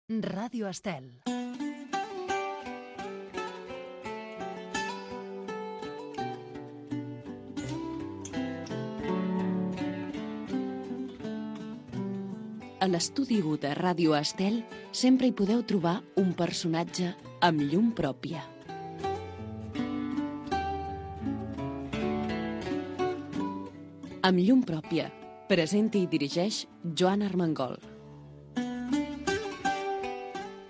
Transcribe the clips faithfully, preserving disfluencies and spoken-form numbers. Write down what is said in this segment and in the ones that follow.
Ràdio Estel. A l'estudi u de Ràdio Estel sempre hi podeu trobar un personatge amb llum pròpia. Amb llum pròpia, presenta i dirigeix Joan Armengol.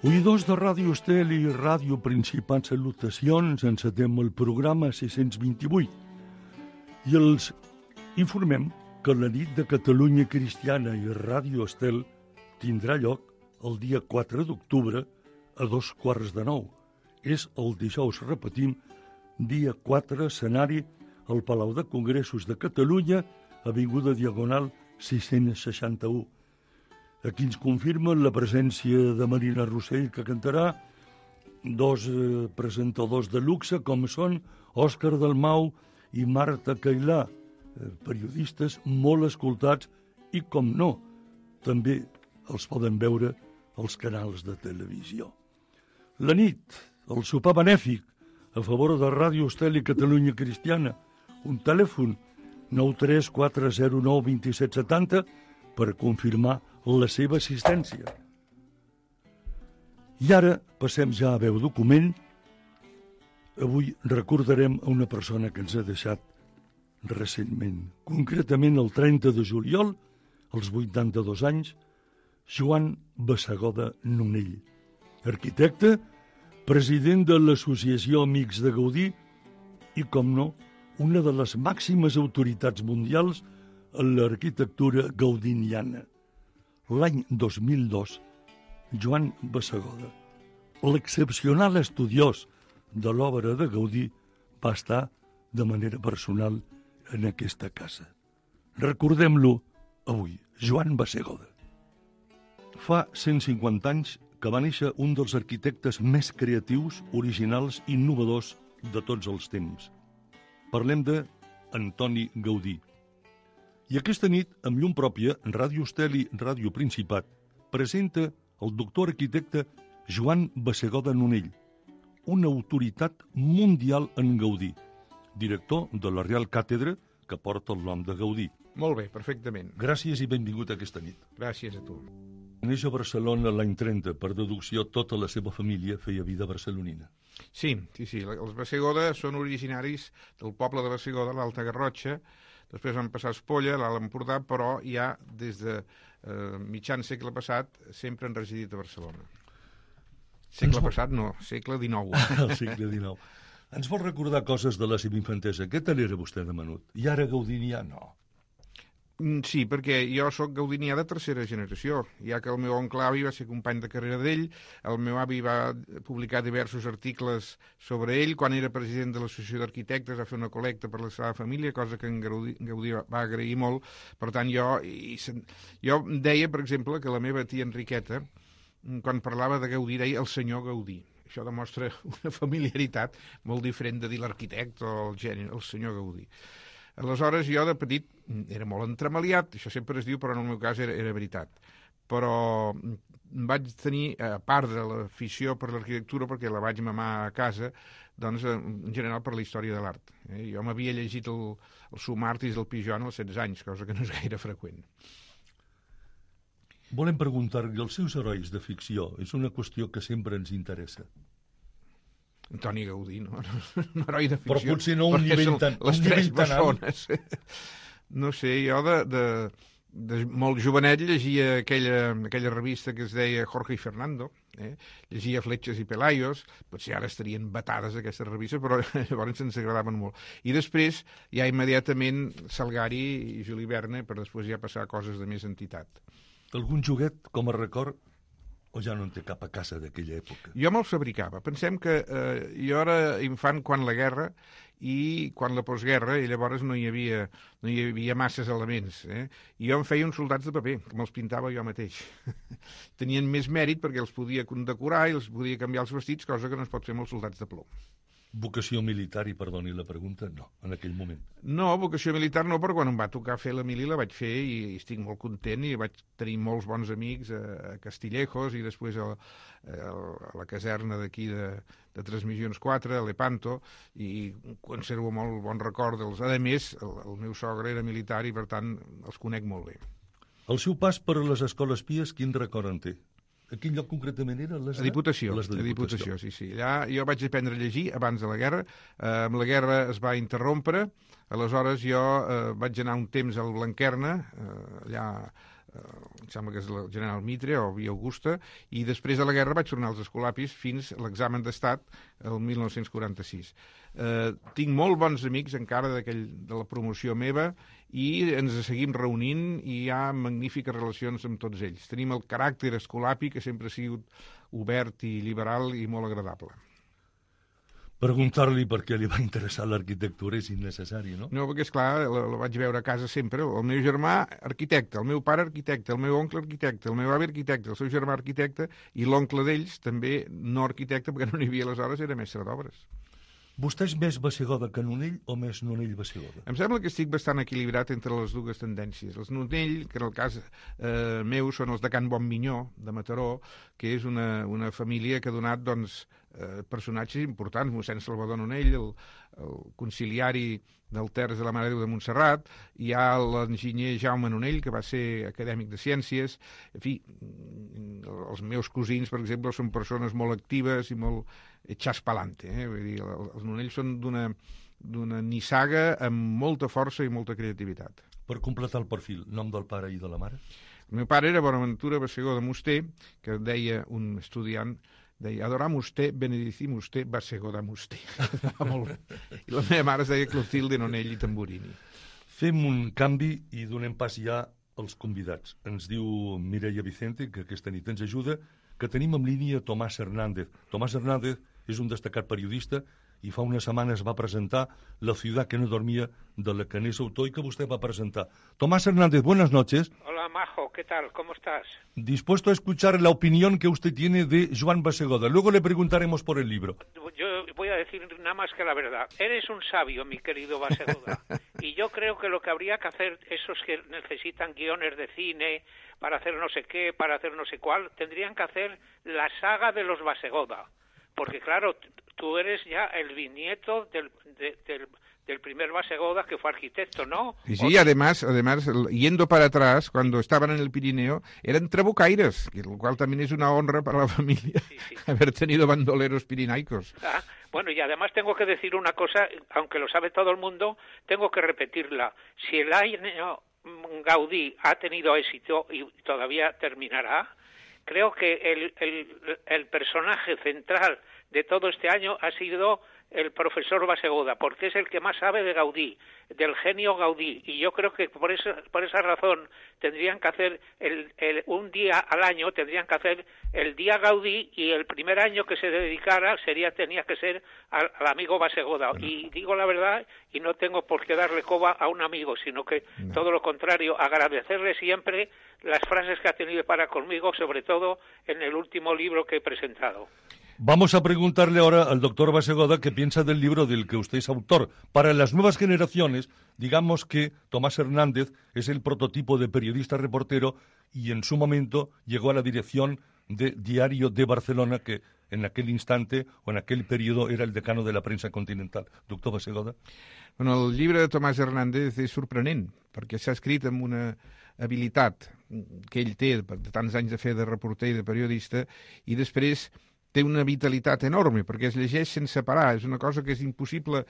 Oïdors de Ràdio Estel i Ràdio Principat, salutacions, encetem el programa sis-cents vint-i-vuit i els informem que la nit de Catalunya Cristiana i Ràdio Estel tindrà lloc el dia quatre d'octubre a dos quarts de nou. És el dijous, repetim, dia quatre, escenari al Palau de Congressos de Catalunya, avinguda Diagonal sis-cents seixanta-u. Aquí ens confirmen la presència de Marina Rossell, que cantarà, dos eh, presentadors de luxe, com són Òscar Dalmau i Marta Cailà, eh, periodistes molt escoltats i, com no, també els poden veure als canals de televisió. La nit, el sopar benèfic, a favor de Ràdio Estel i Catalunya Cristiana, un telèfon nou tres quatre zero nou dos set set zero per confirmar la seva assistència. I ara passem ja a veu document. Avui recordarem a una persona que ens ha deixat recentment, concretament el trenta de juliol, als vuitanta-dos anys, Joan Bassegoda Nonell, arquitecte, president de l'Associació Amics de Gaudí i, com no, una de les màximes autoritats mundials en l'arquitectura gaudiniana. L'any dos mil dos, Joan Bassegoda, l'excepcional estudiós de l'obra de Gaudí, va estar de manera personal en aquesta casa. Recordem-lo avui, Joan Bassegoda. Fa cent cinquanta anys que va néixer un dels arquitectes més creatius, originals i innovadors de tots els temps. Parlem de Antoni Gaudí. I aquesta nit, amb llum pròpia, Ràdio Estel i Ràdio Principat presenta el doctor arquitecte Joan Bassegoda Nonell, una autoritat mundial en Gaudí, director de la Real Càtedra que porta el nom de Gaudí. Molt bé, perfectament. Gràcies i benvingut a aquesta nit. Gràcies a tu. Neix a Barcelona l'any trenta, per deducció tota la seva família feia vida barcelonina. Sí, sí, sí. Els Bassegoda són originaris del poble de Bassegoda, l'Alta Garrotxa. Després van passar a Espolla, l'Alt Empordà, però ja des de eh, mitjan segle passat sempre han residit a Barcelona. Segle vol... passat no, segle dinou. El segle dinou. Ens vol recordar coses de la seva infantesa. Què tal era vostè de menut? I ara gaudinià no. Sí, perquè jo sóc gaudinià de tercera generació, ja que el meu oncle avi va ser company de carrera d'ell, el meu avi va publicar diversos articles sobre ell, quan era president de l'Associació d'Arquitectes va fer una col·lecta per la seva família, cosa que en Gaudí, Gaudí va agrair molt. Per tant, jo, i, jo deia, per exemple, que la meva tia Enriqueta, quan parlava de Gaudí, deia el senyor Gaudí. Això demostra una familiaritat molt diferent de dir l'arquitecte o el geni, el senyor Gaudí. Aleshores, jo de petit era molt entremaliat, això sempre es diu, però en el meu cas era, era veritat. Però vaig tenir, a part de l'afició per l'arquitectura, perquè la vaig mamar a casa, doncs, en general per la història de l'art. Eh? Jo m'havia llegit el, el Sumartis del Pijon als setze anys, cosa que no és gaire freqüent. Volem preguntar-li els seus herois de ficció. És una qüestió que sempre ens interessa. Antoni Gaudí, no? Un heroi de ficció. Però potser no un nivell tan les tres bessones. No sé, jo de, de, de molt jovenet llegia aquella, aquella revista que es deia Jorge y Fernando, eh? Llegia Fletxes i Pelayos, potser ara estarien vetades aquestes revistes, però llavors ens agradaven molt. I després, ja immediatament, Salgari i Juli Verne, per després ja passar a coses de més entitat. Algun joguet, com a record, o ja no en té cap a casa d'aquella època? Jo me'ls fabricava. Pensem que eh, jo era infant quan la guerra i quan la postguerra, i llavors no hi havia, no hi havia masses elements. Eh? I jo em feia uns soldats de paper, que me'ls pintava jo mateix. Tenien més mèrit perquè els podia condecorar i els podia canviar els vestits, cosa que no es pot fer amb els soldats de plom. Vocació militar, i perdoni la pregunta, no, en aquell moment. No, vocació militar no, però quan em va tocar fer la mili la vaig fer i, i estic molt content i vaig tenir molts bons amics a, a Castillejos i després a, a, a la caserna d'aquí de, de Transmissions quatre, a Lepanto, i conservo molt bon record dels... A més, el, el meu sogre era militar i per tant els conec molt bé. El seu pas per les escoles pies, quin record en té? A quin lloc concretament era? Les de... A Diputació, les de a Diputació, sí, sí. Allà jo vaig aprendre a llegir abans de la guerra, eh, amb la guerra es va interrompre, aleshores jo eh, vaig anar un temps al Blanquerna, eh, allà, eh, em sembla que és el General Mitre o Via Augusta, i després de la guerra vaig tornar als Escolapis fins a l'examen d'estat el mil nou-cents quaranta-sis. Eh, tinc molt bons amics encara de la promoció meva i ens seguim reunint i hi ha magnífiques relacions amb tots ells. Tenim el caràcter escolapi que sempre ha sigut obert i liberal i molt agradable. Preguntar-li per què li va interessar l'arquitectura és innecessari, no? No, perquè, esclar, la, la vaig veure a casa sempre. El meu germà, arquitecte, el meu pare, arquitecte, el meu oncle, arquitecte, el meu avi, arquitecte, el seu germà, arquitecte, i l'oncle d'ells, també no arquitecte, perquè no n'hi havia aleshores, era mestre d'obres. Vostè és més Bassegoda que Nonell o més Nonell-Bassegoda? Em sembla que estic bastant equilibrat entre les dues tendències. Els Nonell, que en el cas eh, meu són els de Can Bonminyó, de Mataró, que és una, una família que ha donat doncs, eh, personatges importants, mossèn Salvador Nonell, el, el conciliari del Terç de la Mare de Déu de Montserrat, hi ha l'enginyer Jaume Nonell, que va ser acadèmic de ciències, en fi, els meus cosins, per exemple, són persones molt actives i molt echas pa'lante, eh? Vull dir, els Nonells són d'una d'una nissaga amb molta força i molta creativitat. Per completar el perfil, nom del pare i de la mare? El meu pare era Bonaventura Bassegoda Musté, que deia un estudiant, deia, adoramus te, benedicimus te, Bassegoda Musté. Molt bé. I la meva mare es deia Clotilde Nonell i Tamburini. Fem un canvi i donem pas ja als convidats. Ens diu Mireia Vicente, que aquesta nit ens ajuda, que tenim en línia Tomàs Hernández. Tomàs Hernández és un destacat periodista i fa unas semanas va a presentar La ciudad que no dormía, de la que n'és autor y que usted va a presentar. Tomás Hernández, buenas noches. Hola, Majo, ¿qué tal? ¿Cómo estás? Dispuesto a escuchar la opinión que usted tiene de Joan Bassegoda. Luego le preguntaremos por el libro. Yo voy a decir nada más que la verdad. Eres un sabio, mi querido Bassegoda. Y yo creo que lo que habría que hacer, esos que necesitan guiones de cine para hacer no sé qué, para hacer no sé cuál, tendrían que hacer la saga de los Bassegoda. Porque claro, tú eres ya el bisnieto del, de, del, del primer Bassegoda que fue arquitecto, ¿no? Sí, sí, además, además, yendo para atrás, cuando estaban en el Pirineo, eran trabucaires, lo cual también es una honra para la familia, sí, sí. haber tenido bandoleros pirinaicos. Ah, bueno, y además tengo que decir una cosa, aunque lo sabe todo el mundo, tengo que repetirla. Si el año Gaudí ha tenido éxito y todavía terminará, creo que el, el, el personaje central de todo este año ha sido el profesor Bassegoda, porque es el que más sabe de Gaudí, del genio Gaudí, y yo creo que por esa, por esa razón tendrían que hacer el, el, un día al año, tendrían que hacer el día Gaudí, y el primer año que se dedicara sería tenía que ser al, al amigo Bassegoda. Y digo la verdad, y no tengo por qué darle coba a un amigo, sino que no. Todo lo contrario, agradecerle siempre las frases que ha tenido para conmigo, sobre todo en el último libro que he presentado. Vamos a preguntarle ahora al doctor Bassegoda qué piensa del libro del que usted es autor. Para las nuevas generaciones, digamos que Tomás Hernández es el prototipo de periodista reportero y en su momento llegó a la dirección de Diario de Barcelona, que en aquel instante o en aquel periodo era el decano de la prensa continental. Doctor Bassegoda. Bueno, el llibre de Tomàs Hernández és sorprenent, perquè s'ha escrit amb una habilitat que ell té de tants anys de fer de reporter i de periodista, i després té una vitalitat enorme, perquè es llegeix sense parar. És una cosa que és impossible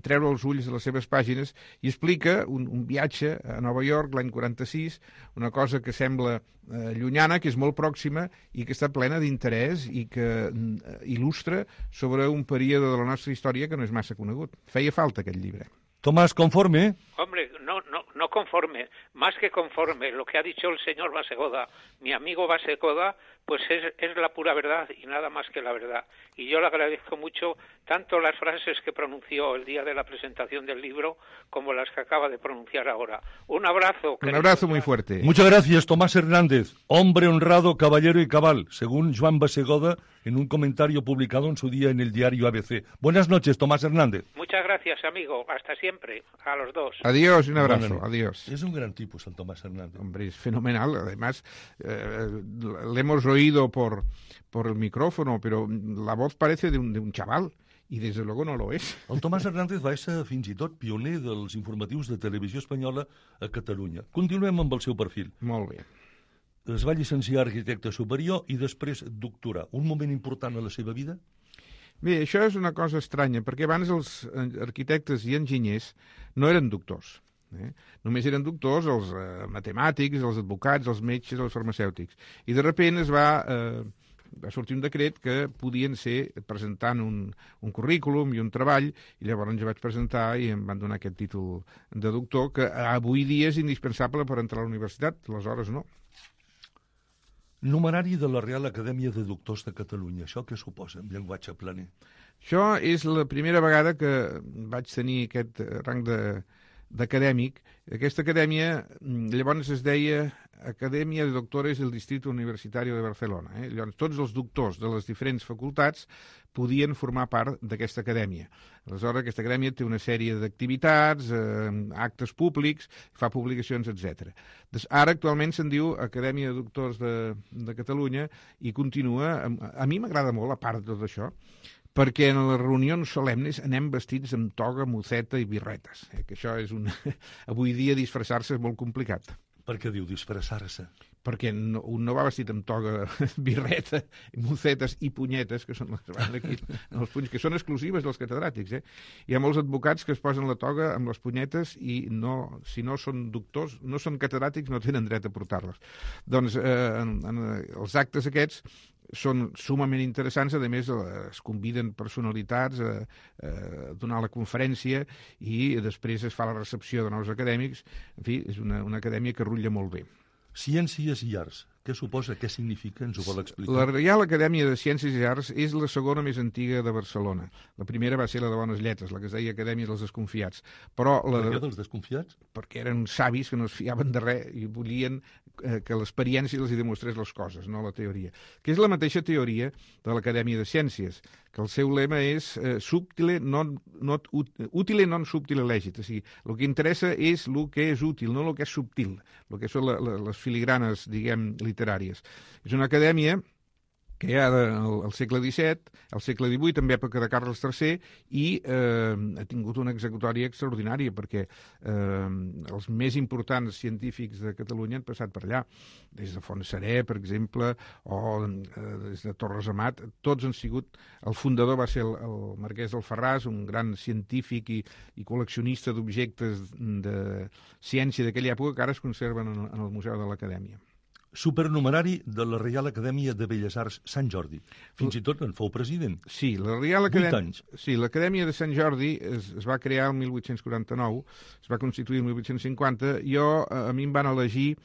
treure els ulls de les seves pàgines, i explica un, un viatge a Nova York l'any quaranta-sis, una cosa que sembla eh, llunyana, que és molt pròxima i que està plena d'interès i que eh, il·lustra sobre un període de la nostra història que no és massa conegut. Feia falta aquest llibre. Tomás, ¿conforme? Hombre, no, no, no conforme, más que conforme. Lo que ha dicho el señor Bassegoda, mi amigo Bassegoda, pues es, es la pura verdad y nada más que la verdad. Y yo le agradezco mucho tanto las frases que pronunció el día de la presentación del libro como las que acaba de pronunciar ahora. Un abrazo. Un abrazo muy fuerte. Muchas gracias, Tomás Hernández, hombre honrado, caballero y cabal, según Joan Basegoda en un comentario publicado en su día en el diario A B C. Buenas noches, Tomás Hernández. Muchas gracias, amigo. Hasta siempre, a los dos. Adiós, un abrazo. Bueno, adiós. Es un gran tipo, San Tomás Hernández. Hombre, es fenomenal. Además, eh, le hemos oído por, por el micrófono, pero la voz parece de un, de un chaval. I, des de luego, no lo és. El Tomàs Hernández va ser fins i tot pioner dels informatius de televisió espanyola a Catalunya. Continuem amb el seu perfil. Molt bé. Es va llicenciar arquitecte superior i després doctorar. Un moment important a la seva vida? Bé, això és una cosa estranya, perquè abans els arquitectes i enginyers no eren doctors. Eh? Només eren doctors els eh, matemàtics, els advocats, els metges, els farmacèutics. I de sobte es va... Eh, va sortir un decret que podien ser presentant un, un currículum i un treball, i llavors jo vaig presentar i em van donar aquest títol de doctor, que avui dia és indispensable per entrar a la universitat, aleshores no. Numerari de la Real Acadèmia de Doctors de Catalunya. Això què suposa en llenguatge planer? Això és la primera vegada que vaig tenir aquest rang de d'acadèmic. Aquesta acadèmia llavors es deia Acadèmia de Doctores del Distrito Universitario de Barcelona. Eh? Llavors, tots els doctors de les diferents facultats podien formar part d'aquesta acadèmia. Aleshores, aquesta acadèmia té una sèrie d'activitats, eh, actes públics, fa publicacions, etcètera. Ara, actualment, se'n diu Acadèmia de Doctors de, de Catalunya i continua... A, a mi m'agrada molt, a part de tot això, perquè en les reunions solemnes anem vestits amb toga, moceta i birretes. Eh? Que això és un... Avui dia disfressar-se és molt complicat. Per què diu disfressar-se? Perquè no, un no va vestit amb toga, birreta, mocetes i punyetes, que són les que van aquí, els punys, que són exclusives dels catedràtics. Eh? Hi ha molts advocats que es posen la toga amb les punyetes i no, si no són doctors, no són catedràtics, no tenen dret a portar-les. Doncs eh, en, en, els actes aquests són sumament interessants, a més es conviden personalitats a, a donar la conferència i després es fa la recepció de nous acadèmics. En fi, és una, una acadèmia que rutlla molt bé. Ciències i Arts. Què suposa? Què significa? Ens ho vol explicar? La Reial Acadèmia de Ciències i Arts és la segona més antiga de Barcelona. La primera va ser la de Bones Lletres, la que es deia Acadèmia dels Desconfiats. Però la Per de... què dels desconfiats? Perquè eren savis que no es fiaven de res i volien eh, que l'experiència els hi demostrés les coses, no la teoria. Que és la mateixa teoria de l'Acadèmia de Ciències, que el seu lema és eh, subtile non, not, utile non subtile legit. O sigui, el que interessa és el que és útil, no el que és subtil, el que són la, la, les filigranes, diguem, literàries. És una acadèmia creada al segle disset, al segle divuit, en època de Carles tercer, i eh, ha tingut una executòria extraordinària, perquè eh, els més importants científics de Catalunya han passat per allà, des de Fontserè, per exemple, o eh, des de Torres Amat, tots han sigut... El fundador va ser el, el Marquès d'Alfarràs, un gran científic i, i col·leccionista d'objectes de ciència d'aquella època que ara es conserven en, en el Museu de l'Acadèmia. Supernumerari de la Reial Acadèmia de Belles Arts Sant Jordi. Fins i tot en fou president. Sí, la Reial Acadèmia... Vuit anys. Sí, l'Acadèmia de Sant Jordi es, es va crear el mil vuit-cents quaranta-nou, es va constituir el mil vuit-cents cinquanta. Jo, a mi em van elegir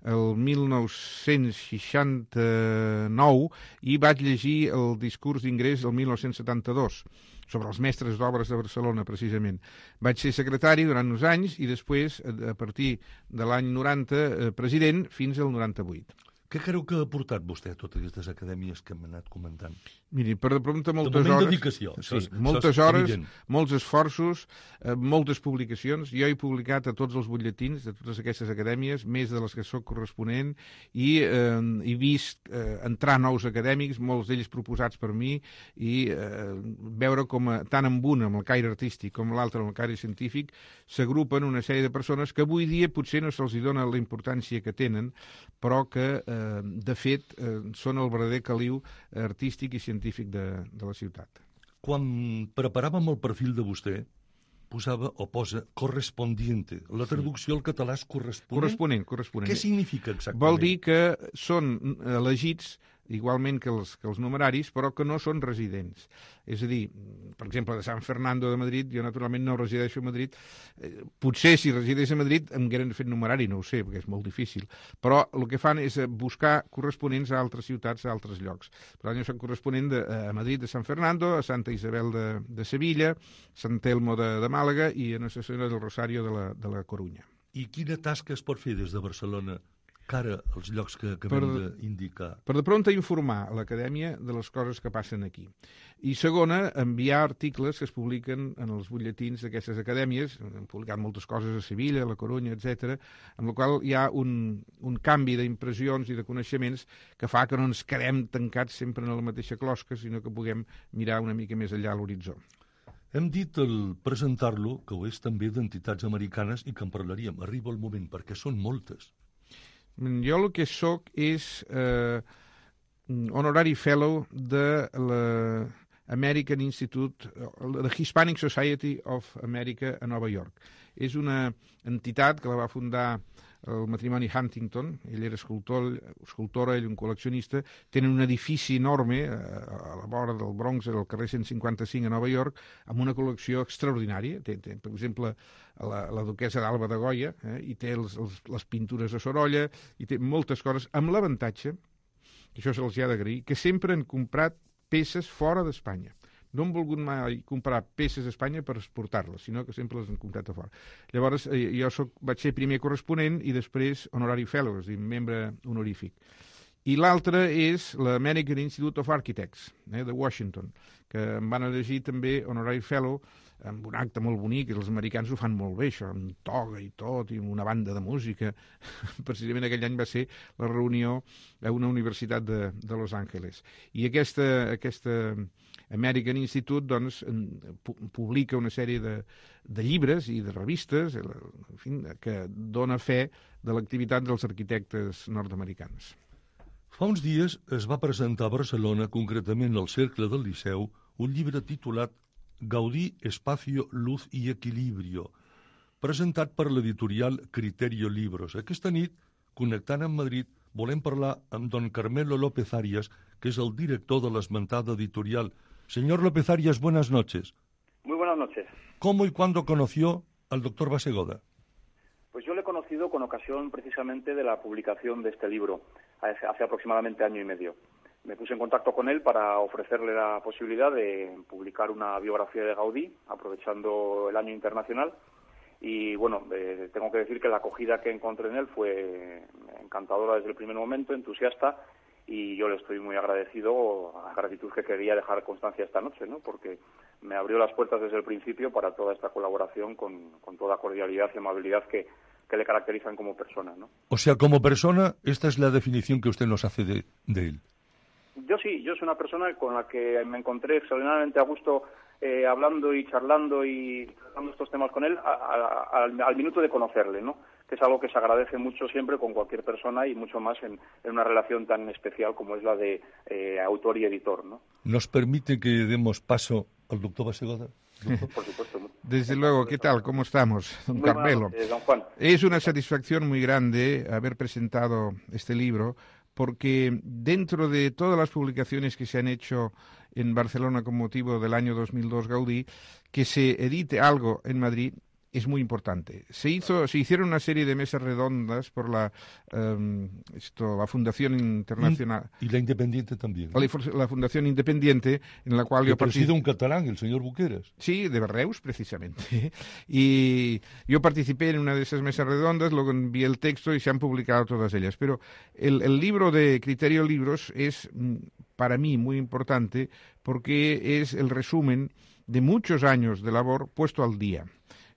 el mil nou-cents seixanta-nou i vaig llegir el discurs d'ingrés del mil nou-cents setanta-dos sobre els mestres d'obres de Barcelona, precisament. Vaig ser secretari durant uns anys i després, a partir de l'any noranta, president, fins al noranta-vuit. Què creu que ha aportat vostè a totes aquestes acadèmies que hem anat comentant? Miri, per de prompte moltes de hores... dedicació. Sí, és, moltes hores, evident. Molts esforços, eh, moltes publicacions. Jo he publicat a tots els butlletins de totes aquestes acadèmies, més de les que soc corresponent, i eh, he vist eh, entrar nous acadèmics, molts d'ells proposats per mi, i eh, veure com a, tant amb un, amb el caire artístic, com l'altre, amb el caire científic, s'agrupen una sèrie de persones que avui dia potser no se'ls dona la importància que tenen, però que, eh, de fet, eh, són el verdader caliu artístic i científic de, de la ciutat. Quan preparàvem el perfil de vostè, posava o posa correspondiente. La traducció al català és corresponent? Corresponent, corresponent. Què significa exactament? Vol dir que són elegits igualment que els, que els numeraris, però que no són residents. És a dir, per exemple, de San Fernando de Madrid, jo naturalment no resideixo a Madrid, eh, potser si resideix a Madrid em hagueren fet numerari, no ho sé, perquè és molt difícil, però el que fan és buscar corresponents a altres ciutats, a altres llocs. Per tant, jo soc corresponent de, a Madrid de San Fernando, a Santa Isabel de, de Sevilla, Sant Telmo de, de Màlaga i a Nostra Senyora del Rosario de la, de la Corunya. I quina tasca es pot fer des de Barcelona cara als llocs que acabem d'indicar? Per de pronta informar a l'acadèmia de les coses que passen aquí. I segona, enviar articles que es publiquen en els butlletins d'aquestes acadèmies. Han publicat moltes coses a Sevilla, a la Corunya, etcètera, amb la qual hi ha un, un canvi d'impressions i de coneixements que fa que no ens quedem tancats sempre en la mateixa closca, sinó que puguem mirar una mica més enllà a l'horitzó. Hem dit al presentar-lo que ho és també d'entitats americanes i que en parlaríem. Arriba el moment, perquè són moltes. Jo el que sóc és eh, honorary fellow de l'American Institute, la Hispanic Society of America a Nova York. És una entitat que la va fundar el matrimoni Huntington, ell era escultor, escultora, ell un col·leccionista, tenen un edifici enorme a la vora del Bronx, al carrer cent cinquanta-cinc a Nova York, amb una col·lecció extraordinària. Té, té, per exemple, la, la duquessa d'Alba de Goya, eh, i té els, els, les pintures de Sorolla, i té moltes coses, amb l'avantatge, que això se'ls ha d'agrair, que sempre han comprat peces fora d'Espanya. No han volgut mai comprar peces d'Espanya per exportar-les, sinó que sempre les han comprat a fora. Llavors, eh, jo soc, vaig ser primer corresponent i després honorary fellow, és a dir, membre honorífic. I l'altre és l'American Institute of Architects, eh, de Washington, que em van elegir també honorary fellow amb un acte molt bonic, i els americans ho fan molt bé, això, amb toga i tot, i amb una banda de música. Precisament aquell any va ser la reunió a una universitat de, de Los Angeles. I aquesta... aquesta American Institute doncs, publica una sèrie de, de llibres i de revistes, en fi, que dona fe de l'activitat dels arquitectes nord-americans. Fa uns dies es va presentar a Barcelona, concretament al Cercle del Liceu, un llibre titulat Gaudí, Espacio, Luz y Equilibrio, presentat per l'editorial Criterio Libros. Aquesta nit, connectant amb Madrid, volem parlar amb don Carmelo López Arias, que és el director de l'esmentada editorial. Señor López Arias, buenas noches. Muy buenas noches. ¿Cómo y cuándo conoció al doctor Basegoda? Pues yo le he conocido con ocasión precisamente de la publicación de este libro, hace, hace aproximadamente año y medio. Me puse en contacto con él para ofrecerle la posibilidad de publicar una biografía de Gaudí, aprovechando el año internacional. Y bueno, eh, tengo que decir que la acogida que encontré en él fue encantadora desde el primer momento, entusiasta, y yo le estoy muy agradecido, a gratitud que quería dejar constancia esta noche, ¿no? Porque me abrió las puertas desde el principio para toda esta colaboración con, con toda cordialidad y amabilidad que, que le caracterizan como persona, ¿no? O sea, como persona, esta es la definición que usted nos hace de, de él. Yo sí, yo soy una persona con la que me encontré extraordinariamente a gusto eh, hablando y charlando y tratando estos temas con él a, a, a, al, al minuto de conocerle, ¿no? Que es algo que se agradece mucho siempre con cualquier persona y mucho más en, en una relación tan especial como es la de eh, autor y editor, ¿no? ¿Nos permite que demos paso al doctor Basegoda? Por supuesto. Desde luego, ¿qué tal? ¿Cómo estamos, don Muy Carmelo? Buenas, eh, don Juan. Es una satisfacción muy grande haber presentado este libro, porque dentro de todas las publicaciones que se han hecho en Barcelona con motivo del año dos mil dos Gaudí, que se edite algo en Madrid es muy importante. Se hizo, se hicieron una serie de mesas redondas por la, um, esto, la Fundación Internacional. Y la Independiente también, ¿no? La, la Fundación Independiente, en la cual que yo participé. preside un catalán, el señor Buqueras. Sí, de Reus, precisamente. Y yo participé en una de esas mesas redondas, luego envié el texto y se han publicado todas ellas. Pero el, el libro de Criterio Libros es, para mí, muy importante porque es el resumen de muchos años de labor puesto al día.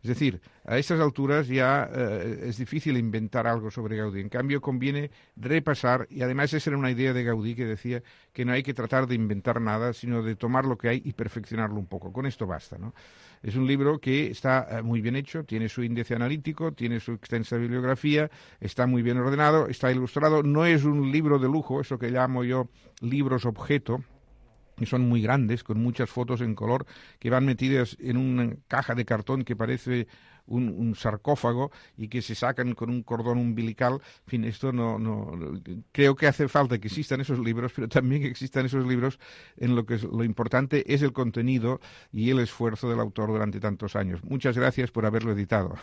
Es decir, a estas alturas ya eh, es difícil inventar algo sobre Gaudí. En cambio, conviene repasar, y además esa era una idea de Gaudí que decía que no hay que tratar de inventar nada, sino de tomar lo que hay y perfeccionarlo un poco. Con esto basta, ¿no? Es un libro que está eh, muy bien hecho, tiene su índice analítico, tiene su extensa bibliografía, está muy bien ordenado, está ilustrado. No es un libro de lujo, eso que llamo yo libros objeto, y son muy grandes, con muchas fotos en color que van metidas en una caja de cartón que parece un, un sarcófago y que se sacan con un cordón umbilical. En fin, esto no, no... Creo que hace falta que existan esos libros, pero también que existan esos libros en lo que es, lo importante es el contenido y el esfuerzo del autor durante tantos años. Muchas gracias por haberlo editado.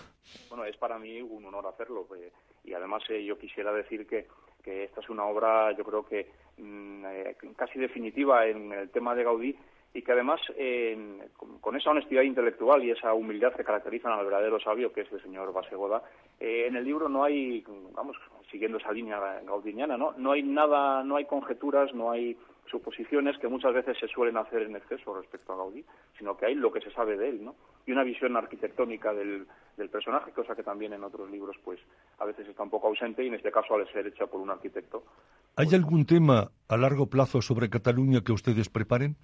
Bueno, es para mí un honor hacerlo. Eh, y además eh, yo quisiera decir que, que esta es una obra, yo creo que mmm, eh, casi definitiva en el tema de Gaudí, y que además, eh, con, con esa honestidad intelectual y esa humildad que caracterizan al verdadero sabio, que es el señor Bassegoda, eh, en el libro no hay, vamos, siguiendo esa línea gaudiniana, ¿no? No hay nada, no hay conjeturas, no hay suposiciones que muchas veces se suelen hacer en exceso respecto a Gaudí, sino que hay lo que se sabe de él, ¿no? Y una visión arquitectónica del, del personaje, cosa que también en otros libros, pues, a veces está un poco ausente, y en este caso, al ser hecha por un arquitecto... ¿Hay pues, algún tema a largo plazo sobre Cataluña que ustedes preparen?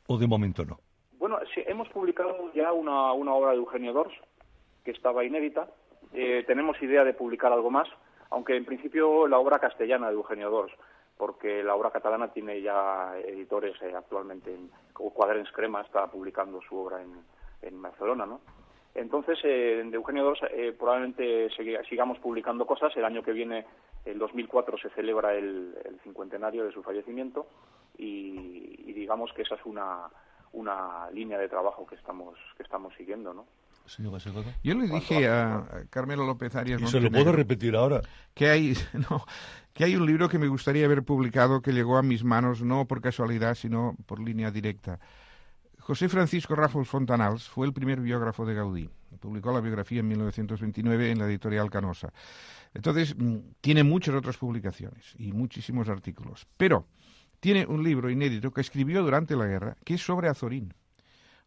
¿O de momento no? Bueno, sí, hemos publicado ya una, una obra de Eugenio Dors, que estaba inédita. Eh, tenemos idea de publicar algo más, aunque en principio la obra castellana de Eugenio Dors, porque la obra catalana tiene ya editores eh, actualmente, en, como Quaderns Crema está publicando su obra en, en Barcelona, ¿no? Entonces, eh, de Eugenio Dors eh, probablemente segui- sigamos publicando cosas. El año que viene, el dos mil cuatro, se celebra el, el cincuentenario de su fallecimiento, y, y digamos que esa es una, una línea de trabajo que estamos, que estamos siguiendo, ¿no? Señor Bassegoda. Yo le dije a Carmelo López Arias... Y se lo puedo repetir ahora. Que hay, no, que hay un libro que me gustaría haber publicado, que llegó a mis manos no por casualidad, sino por línea directa. José Francisco Ràfols Fontanals fue el primer biógrafo de Gaudí. Publicó la biografía en mil novecientos veintinueve en la editorial Canosa. Entonces, tiene muchas otras publicaciones y muchísimos artículos. Pero tiene un libro inédito que escribió durante la guerra, que es sobre Azorín.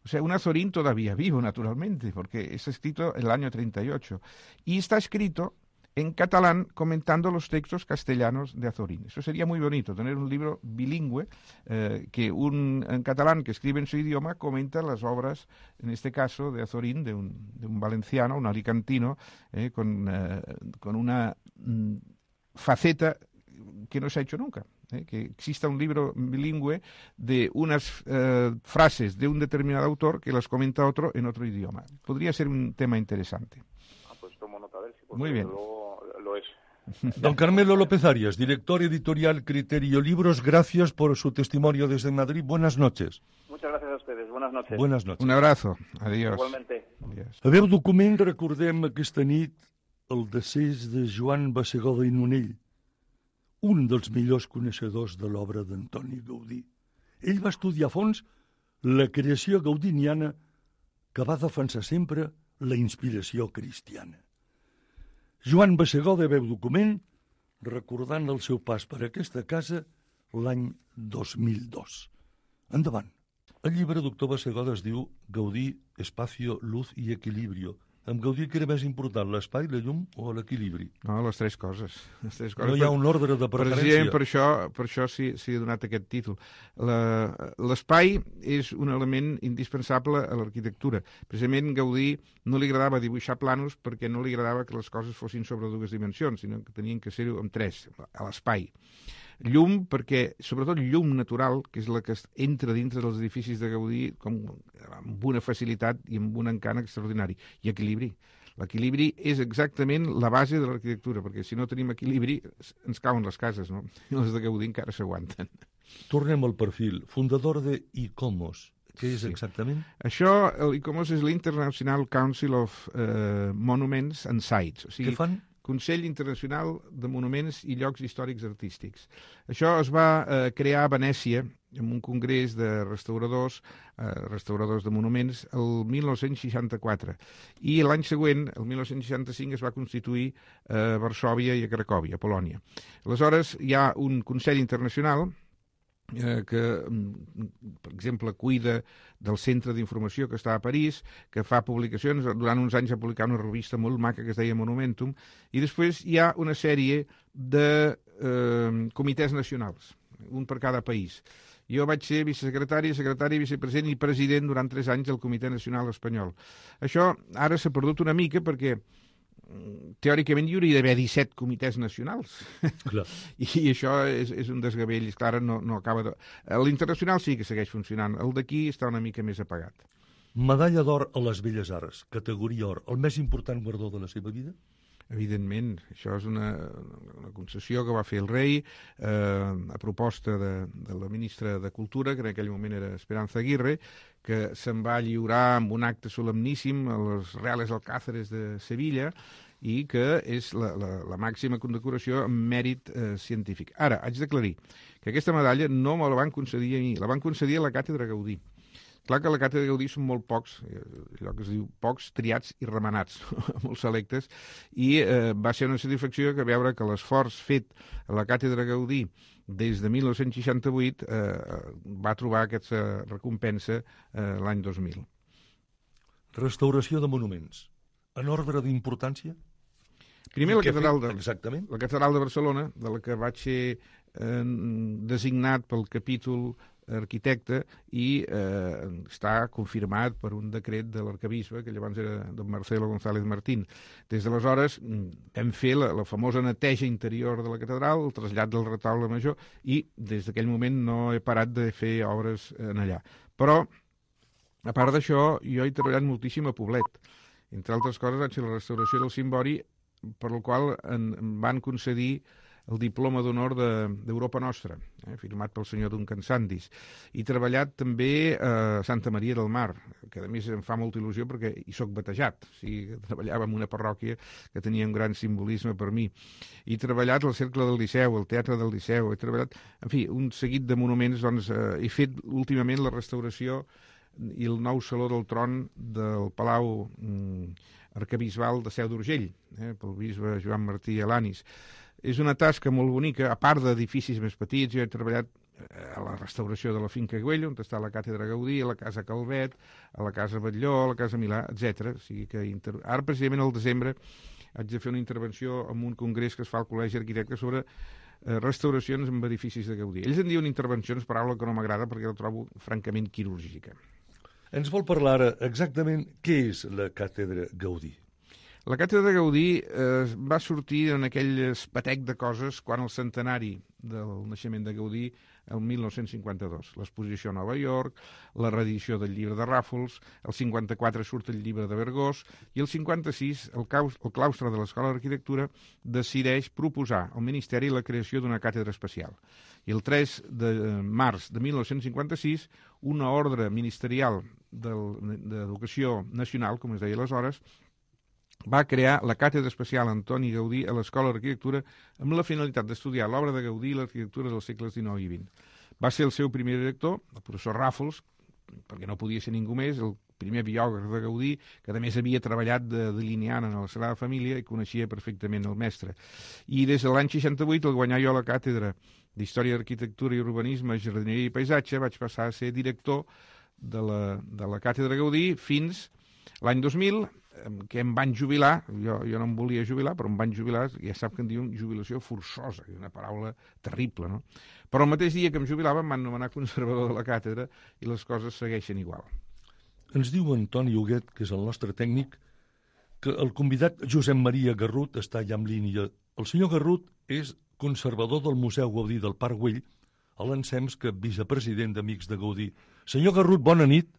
O sea, un Azorín todavía vivo, naturalmente, porque está escrito en el año treinta y ocho. Y está escrito en catalán comentando los textos castellanos de Azorín. Eso sería muy bonito, tener un libro bilingüe, eh, que un en catalán que escribe en su idioma comenta las obras, en este caso, de Azorín, de un, de un valenciano, un alicantino, eh, con, eh, con una mm, faceta que no se ha hecho nunca. ¿eh? Que exista un libro bilingüe de unas eh, frases de un determinado autor que las comenta otro en otro idioma. Podría ser un tema interesante. Ah, pues tomo nota de él, sí, Muy bien. Luego lo es. Don Carmelo López Arias, director editorial Criterio Libros, gracias por su testimonio desde Madrid. Buenas noches. Muchas gracias a ustedes. Buenas noches. Buenas noches. Un abrazo. Adiós. Igualmente. Adiós. A veu document recordem aquesta nit el decés de Joan Bassegoda i Nonell, un dels millors coneixedors de l'obra d'Antoni Gaudí. Ell va estudiar a fons la creació gaudiniana, que va defensar sempre la inspiració cristiana. Joan Bassegoda veu document recordant el seu pas per aquesta casa l'any dos mil dos. Endavant. El llibre, doctor Bassegoda, es diu Gaudí, espacio, luz i equilibrio. Amb Gaudí, què era més important, l'espai, la llum o l'equilibri? No, les tres coses. Les tres coses. No hi ha un ordre de preferència. Per això, per això s'hi ha donat aquest títol. L'espai és un element indispensable a l'arquitectura. Precisament Gaudí no li agradava dibuixar planos perquè no li agradava que les coses fossin sobre dues dimensions, sinó que tenien que ser-ho amb tres, a l'espai. Llum, perquè, sobretot llum natural, que és la que entra dintre dels edificis de Gaudí com, amb una facilitat i amb un encant extraordinari. I equilibri. L'equilibri és exactament la base de l'arquitectura, perquè si no tenim equilibri ens cauen les cases, no? I les de Gaudí encara s'aguanten. Tornem al perfil. Fundador de ICOMOS. Què és Sí. exactament? Això, l'ICOMOS és l'International Council of uh, Monuments and Sites. O sigui, Què fan? Consell Internacional de Monuments i Llocs Històrics Artístics. Això es va eh, crear a Venècia, en un congrés de restauradors, eh, restauradors de monuments, el mil nou-cents seixanta-quatre. I l'any següent, el mil nou-cents seixanta-cinc, es va constituir a Varsòvia i a Cracòvia, a Polònia. Aleshores, hi ha un Consell Internacional Eh, que, per exemple, cuida del centre d'informació que està a París, que fa publicacions, durant uns anys ha publicat una revista molt maca que es deia Monumentum, i després hi ha una sèrie de eh, comitès nacionals, un per cada país. Jo vaig ser vicesecretari, secretari, vicepresident i president durant tres anys del Comitè Nacional Espanyol. Això ara s'ha perdut una mica perquè teòricament hi hauria d'haver disset comitès nacionals. Clar. I això és, és un desgavell, és clar, no, no acaba de... L'internacional sí que segueix funcionant, el d'aquí està una mica més apagat. Medalla d'or a les Belles Arts, categoria or, el més important guardó de la seva vida? Evidentment, això és una, una concessió que va fer el rei eh, a proposta de, de la ministra de Cultura, que en aquell moment era Esperanza Aguirre, que se'n va lliurar amb un acte solemníssim a les Reales Alcázares de Sevilla i que és la, la, la màxima condecoració en mèrit eh, científic. Ara, haig d'aclarir que aquesta medalla no me la van concedir a mi, la van concedir a la Càtedra Gaudí. Clar que a la Càtedra Gaudí són molt pocs, allò que es diu pocs, triats i remenats, molt selectes, i eh, va ser una satisfacció que veure que l'esforç fet a la Càtedra Gaudí des de mil nou-cents seixanta-vuit eh, va trobar aquesta recompensa eh, l'any dos mil. Restauració de monuments. En ordre d'importància? Primer la catedral, de, Exactament. la catedral de Barcelona, de la que vaig ser eh, designat pel capítol arquitecte i eh, està confirmat per un decret de l'arquebisbe, que llavors era don Marcelo González Martín. Des d'aleshores hem fet la, la famosa neteja interior de la catedral, el trasllat del retaule major, i des d'aquell moment no he parat de fer obres en allà. Però, a part d'això, jo he treballat moltíssim a Poblet. Entre altres coses, vaig fer la restauració del cimbori, per la qual en, em van concedir el diploma d'honor d'Europa de, Nostra, eh, firmat pel senyor Duncan Sandys. He treballat també a Santa Maria del Mar, que a més em fa molta il·lusió perquè hi soc batejat. O sigui, treballava en una parròquia que tenia un gran simbolisme per mi. He treballat al Cercle del Liceu, al Teatre del Liceu, he treballat, en fi, un seguit de monuments. Doncs, eh, he fet últimament la restauració i el nou Saló del Tron del Palau mm, Arquebisbal de Seu d'Urgell, eh, pel bisbe Joan Martí Alanis. És una tasca molt bonica, a part d'edificis més petits. Jo he treballat a la restauració de la Finca Güell, on està la Càtedra Gaudí, a la Casa Calvet, a la Casa Batlló, a la Casa Milà, etcètera. O sigui que inter... Ara, precisament, al desembre, haig de fer una intervenció en un congrés que es fa al Col·legi Arquitectes sobre eh, restauracions en edificis de Gaudí. Ells en diuen intervencions, paraula que no m'agrada perquè la trobo francament quirúrgica. Ens vol parlar ara exactament què és la Càtedra Gaudí? La Càtedra Gaudí eh, va sortir en aquell espatec de coses quan el centenari del naixement de Gaudí, el mil nou-cents cinquanta-dos. L'exposició a Nova York, la reedició del llibre de Ràfols, el cinquanta-quatre surt el llibre de Vergós, i el cinquanta-sis el, caus, el claustre de l'Escola d'Arquitectura decideix proposar al Ministeri la creació d'una càtedra especial. I el tres de març de mil nou-cents cinquanta-sis, una ordre ministerial d'Educació Nacional, com es deia aleshores, va crear la Càtedra Especial Antoni Gaudí a l'Escola d'Arquitectura amb la finalitat d'estudiar l'obra de Gaudí i l'arquitectura dels segles dinou i vint. Va ser el seu primer director, el professor Ràfols, perquè no podia ser ningú més, el primer biògraf de Gaudí, que a més havia treballat de delineant en la Sagrada Família i coneixia perfectament el mestre. I des de l'any seixanta-vuit, al guanyar jo la càtedra d'Història, Arquitectura i Urbanisme, Jardineria i Paisatge, vaig passar a ser director de la, de la Càtedra Gaudí fins l'any dos mil, que em van jubilar. Jo, jo no em volia jubilar, però em van jubilar, ja sap que en diuen jubilació forçosa, que és una paraula terrible, no? Però el mateix dia que em jubilava em van nomenar conservador de la càtedra i les coses segueixen igual. Ens diu Antoni Huguet, que és el nostre tècnic, que el convidat Josep Maria Garrut està ja en línia. El senyor Garrut és conservador del Museu Gaudí del Parc Güell, a l'ensems que vicepresident d'Amics de Gaudí. Senyor Garrut, bona nit.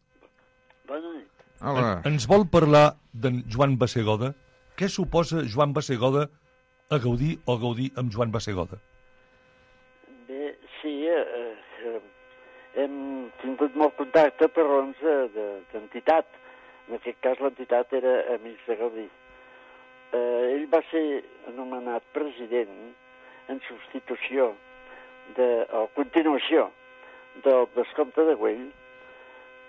Bona nit. Hola. En, ens vol parlar d'en Joan Bassegoda? Què suposa Joan Bassegoda a Gaudí o Gaudí amb Joan Bassegoda? Bé, sí, eh, eh, hem tingut molt contacte per raons d'entitat. En aquest cas l'entitat era Amics de Gaudí. Eh, ell va ser anomenat president en substitució de, o continuació del vescomte de Güell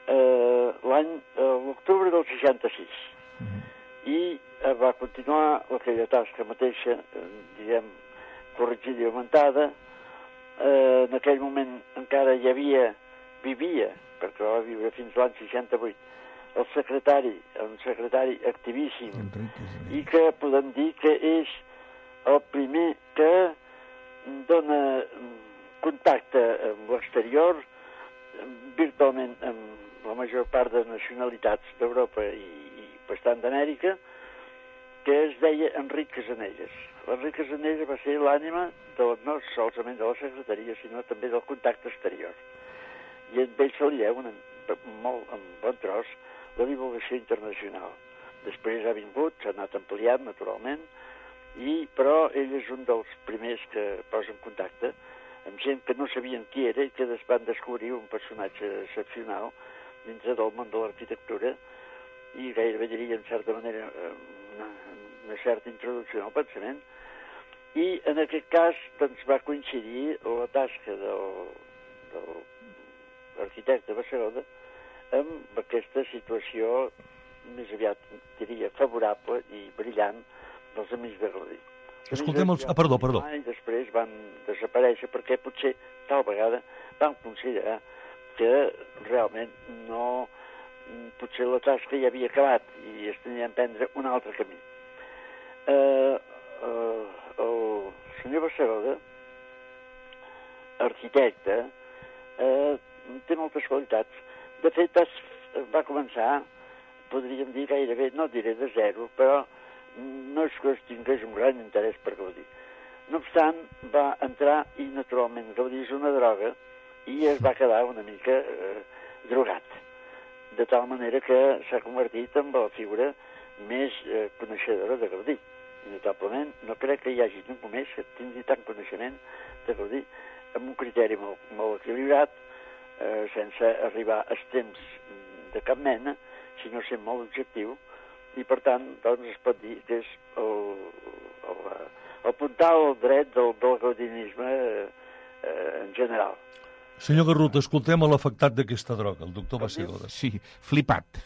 eh, l'any, eh, l'octubre del seixanta-sis. Mm-hmm. I eh, va continuar aquella tasca mateixa, eh, diguem, corregida i augmentada. Eh, en aquell moment encara hi havia, vivia, perquè va viure fins l'any seixanta-vuit, el secretari, un secretari activíssim, i que podem dir que és el primer que dona contacte amb l'exterior, virtualment amb la major part de nacionalitats d'Europa i, i bastant d'Amèrica, que es deia Enric Casanelles. L'Enric Casanelles va ser l'ànima de, no solament de la secretaria, sinó també del contacte exterior. I amb ell se li deu un, molt, en bon tros la divulgació internacional. Després ha vingut, s'ha anat ampliant, naturalment, i, però ell és un dels primers que posa en contacte amb gent que no sabien qui era i que van descobrir un personatge excepcional dintre del món de l'arquitectura i gairebé diria, en certa manera, una, una certa introducció al pensament. I en aquest cas doncs, va coincidir la tasca del, del arquitecte Bassegoda amb aquesta situació més aviat, diria, favorable i brillant dels amics de Gaudí. Escoltem els... Ah, perdó, perdó. I després van desaparèixer perquè potser tal vegada van considerar que realment no... potser la tasca ja havia acabat i es tenia d'emprendre un altre camí. Eh, eh, el senyor Bassegoda, arquitecte, eh, té moltes qualitats. De fet, es, va començar, podríem dir gairebé, no diré de zero, però no és que es tingués un gran interès per Gaudí. No obstant, va entrar i naturalment Gaudí és una droga i es va quedar una mica eh, drogat. De tal manera que s'ha convertit en la figura més eh, coneixedora de Gaudí. I notablement no crec que hi hagi ningú més que tingui tant coneixement de Gaudí amb un criteri molt, molt equilibrat, eh, sense arribar a extrems de cap mena, sinó ser molt objectiu, i per tant doncs, es pot dir que és el, el, el puntal dret del, del gaudinisme eh, eh, en general. Senyor Garrut, escoltem a l'afectat d'aquesta droga, el doctor Bassegoda. Sí, flipat.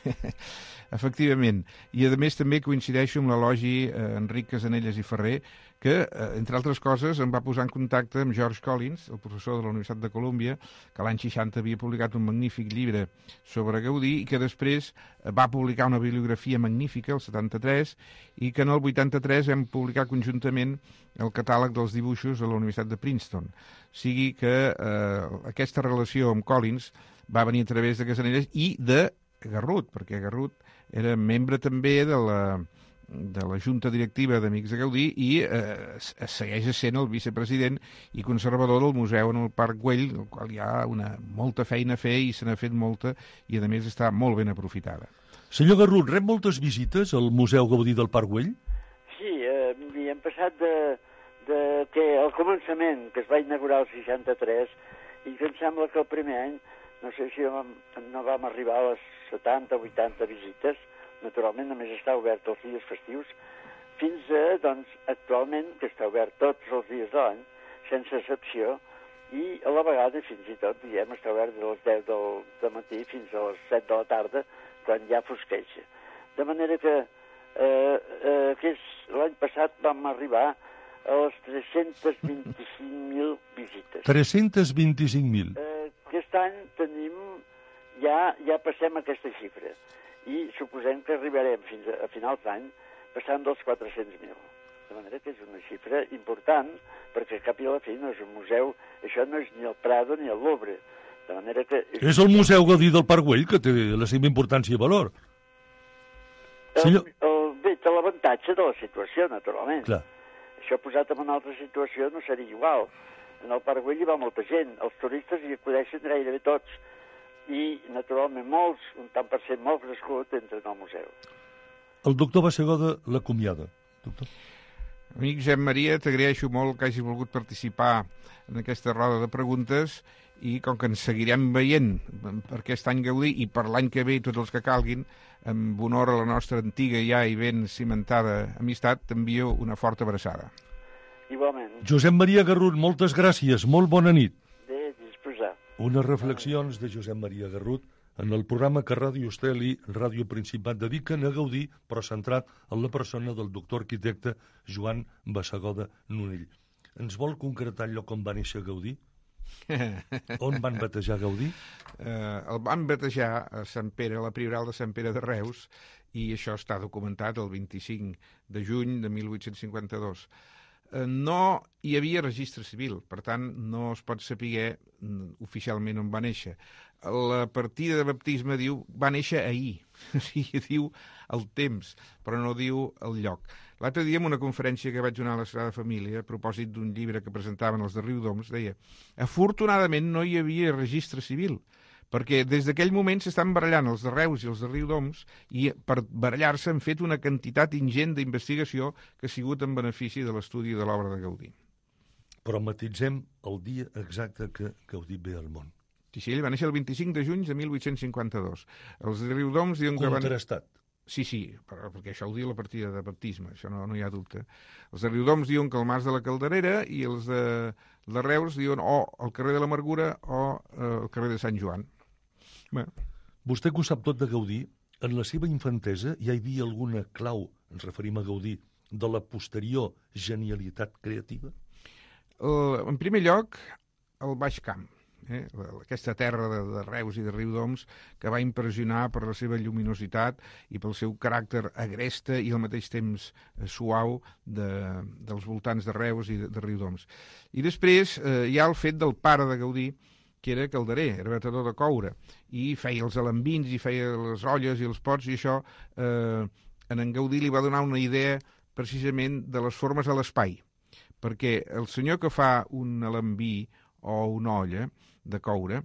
Efectivament. I a més també coincideixo amb l'elogi eh, Enric Casanelles i Ferrer, que, eh, entre altres coses, em va posar en contacte amb George Collins, el professor de la Universitat de Colúmbia, que l'any seixanta havia publicat un magnífic llibre sobre Gaudí i que després va publicar una bibliografia magnífica, el setanta-tres, i que en el vuitanta-tres vam publicar conjuntament el catàleg dels dibuixos a la Universitat de Princeton. Sigui que eh, aquesta relació amb Collins va venir a través de Casanelles i de Garrut, perquè Garrut era membre també de la, de la Junta Directiva d'Amics de Gaudí i eh, segueix sent el vicepresident i conservador del museu en el Parc Güell, el qual hi ha una, molta feina a fer i se n'ha fet molta i a més està molt ben aprofitada. Senyor Garrut, rep moltes visites al Museu Gaudí del Parc Güell? Sí, eh, i hem passat de, de que al començament, que es va inaugurar el seixanta-tres, i que em sembla que el primer any, no sé si no vam arribar a les setanta o vuitanta visites, naturalment només està obert els dies festius, fins a, doncs, actualment, que està obert tots els dies de l'any, sense excepció, i a la vegada, fins i tot, diguem, està obert de les deu del matí fins a les set de la tarda, quan ja fosqueja. De manera que eh, eh, l'any passat vam arribar a les tres-cents vint-i-cinc mil visites. tres-cents vint-i-cinc mil. Eh, aquest any tenim, ja, ja passem aquesta xifra i suposem que arribarem fins a, a finals d'any passant dels quatre-cents mil. De manera que és una xifra important, perquè cap i a la fi no és un museu, això no és ni el Prado ni el Louvre. De manera que... És, és el Museu Gaudí del Parc Güell, que té la seva importància i valor. El, Senyor... el, bé, té l'avantatge de la situació, naturalment. Clar. Això posat en una altra situació no seria igual. En el Parc Güell hi va molta gent, els turistes hi acudeixen gairebé tots, i, naturalment, molts, un tant per cent molt crescut, entren al museu. El doctor Bassegoda l'acomiada. Doctor. Amic Josep Maria, t'agraeixo molt que hagi volgut participar en aquesta roda de preguntes i com que ens seguirem veient per aquest any Gaudí i per l'any que ve i tots els que calguin, amb honor a la nostra antiga ja i ben cimentada amistat, t'envio una forta abraçada. Igualment. Josep Maria Garrut, moltes gràcies, molt bona nit. Bé, disposar. Unes reflexions de Josep Maria Garrut en el programa que Ràdio Estel i Ràdio Principat dediquen a Gaudí, però centrat en la persona del doctor arquitecte Joan Bassegoda Nonell. Ens vol concretar allò com va néixer Gaudí? On van batejar Gaudí? Eh, el van batejar a Sant Pere, a la Prioral de Sant Pere de Reus, i això està documentat el vint-i-cinc de juny de mil vuit-cents cinquanta-dos. No hi havia registre civil, per tant no es pot saber oficialment on va néixer. la partida de baptisme diu va néixer ahir, o sigui, diu el temps, però no diu el lloc. L'altre dia, en una conferència que vaig donar a la Sagrada Família, a propòsit d'un llibre que presentaven els de Riudoms, deia, afortunadament no hi havia registre civil, perquè des d'aquell moment s'estan barallant els de Reus i els de Riudoms i per barallar-se han fet una quantitat ingent d'investigació que ha sigut en benefici de l'estudi de l'obra de Gaudí. Però matitzem el dia exacte que Gaudí ve al món. Sí, sí, ell va néixer el vint-i-cinc de juny de mil vuit-cents cinquanta-dos. Els de Riudoms diuen que van... Contrastat. Sí, sí, perquè això ho diu la partida de baptisme, això no, no hi ha dubte. Els de Riudoms diuen que el Mas de la Calderera i els de, de Reus diuen o el carrer de l'Amargura o eh, el carrer de Sant Joan. Bé. Vostè que ho sap tot de Gaudí, en la seva infantesa hi havia alguna clau, ens referim a Gaudí, de la posterior genialitat creativa? Uh, en primer lloc, el Baix Camp. Eh? Aquesta terra de, de Reus i de Riudoms que va impressionar per la seva lluminositat i pel seu caràcter agreste i al mateix temps eh, suau de, dels voltants de Reus i de, de Riudoms. I després eh, hi ha el fet del pare de Gaudí, que era calderer, era batedor de coure, i feia els alambins, i feia les olles i els pots, i això eh, en en Gaudí li va donar una idea precisament de les formes a l'espai, perquè el senyor que fa un alambí o una olla de coure,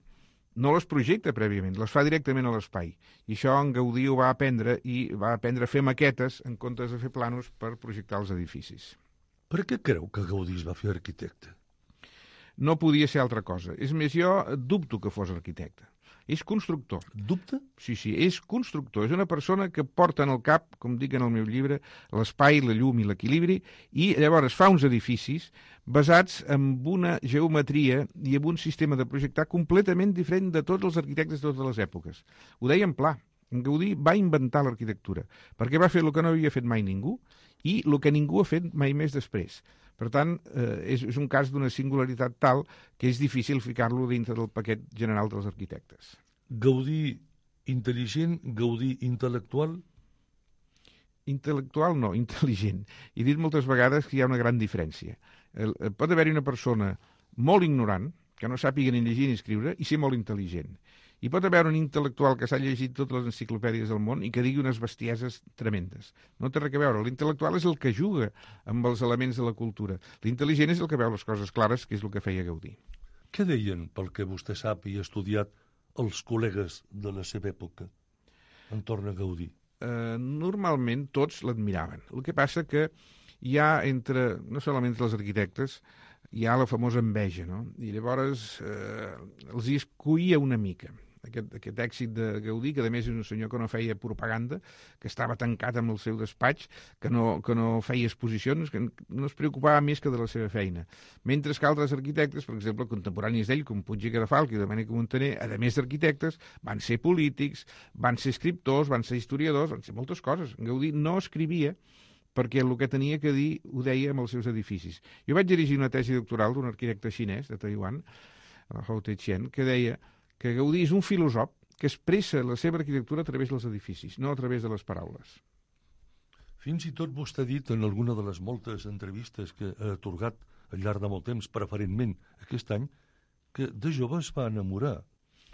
no les projecta prèviament, les fa directament a l'espai. I això en Gaudí ho va aprendre i va aprendre a fer maquetes en comptes de fer planos per projectar els edificis. Per què creu que Gaudí es va fer arquitecte? No podia ser altra cosa. És més, jo dubto que fos arquitecte. És constructor. Dubte? Sí, sí, és constructor. És una persona que porta en el cap, com dic en el meu llibre, l'espai, la llum i l'equilibri, i llavors fa uns edificis basats en una geometria i en un sistema de projectar completament diferent de tots els arquitectes de totes les èpoques. Ho deia en pla. En Gaudí va inventar l'arquitectura, perquè va fer el que no havia fet mai ningú i el que ningú ha fet mai més després. Per tant, eh, és, és un cas d'una singularitat tal que és difícil ficar-lo dintre del paquet general dels arquitectes. Gaudí intel·ligent, Gaudí intel·lectual? Intel·lectual no, intel·ligent. He dit moltes vegades que hi ha una gran diferència. El, pot haver-hi una persona molt ignorant, que no sàpiga ni llegir ni escriure, i ser molt intel·ligent. Hi pot haver un intel·lectual que s'ha llegit totes les enciclopèdies del món i que digui unes bestieses tremendes. No té res a veure. L'intel·lectual és el que juga amb els elements de la cultura. L'intel·ligent és el que veu les coses clares, que és el que feia Gaudí. Què deien, pel que vostè sap i ha estudiat, els col·legues de la seva època entorn a Gaudí? Eh, normalment tots l'admiraven. El que passa que hi ha entre, no solament els arquitectes, hi ha la famosa enveja, no? I llavors eh, els hi escoïa una mica. Aquest, aquest èxit de Gaudí, que a més és un senyor que no feia propaganda, que estava tancat amb el seu despatx, que no, que no feia exposicions, que no es preocupava més que de la seva feina. Mentre que altres arquitectes, per exemple, contemporanis d'ell, com Puig i Cadafalch i Domènec Montaner, a més d'arquitectes, van ser polítics, van ser escriptors, van ser historiadors, van ser moltes coses. Gaudí no escrivia perquè el que tenia que dir ho deia amb els seus edificis. Jo vaig dirigir una tesi doctoral d'un arquitecte xinès de Taiwan, el Hou Teixian, que deia que Gaudí és un filòsof que expressa la seva arquitectura a través dels edificis, no a través de les paraules. Fins i tot vostè ha dit en alguna de les moltes entrevistes que ha atorgat al llarg de molt temps, preferentment aquest any, que de jove es va enamorar.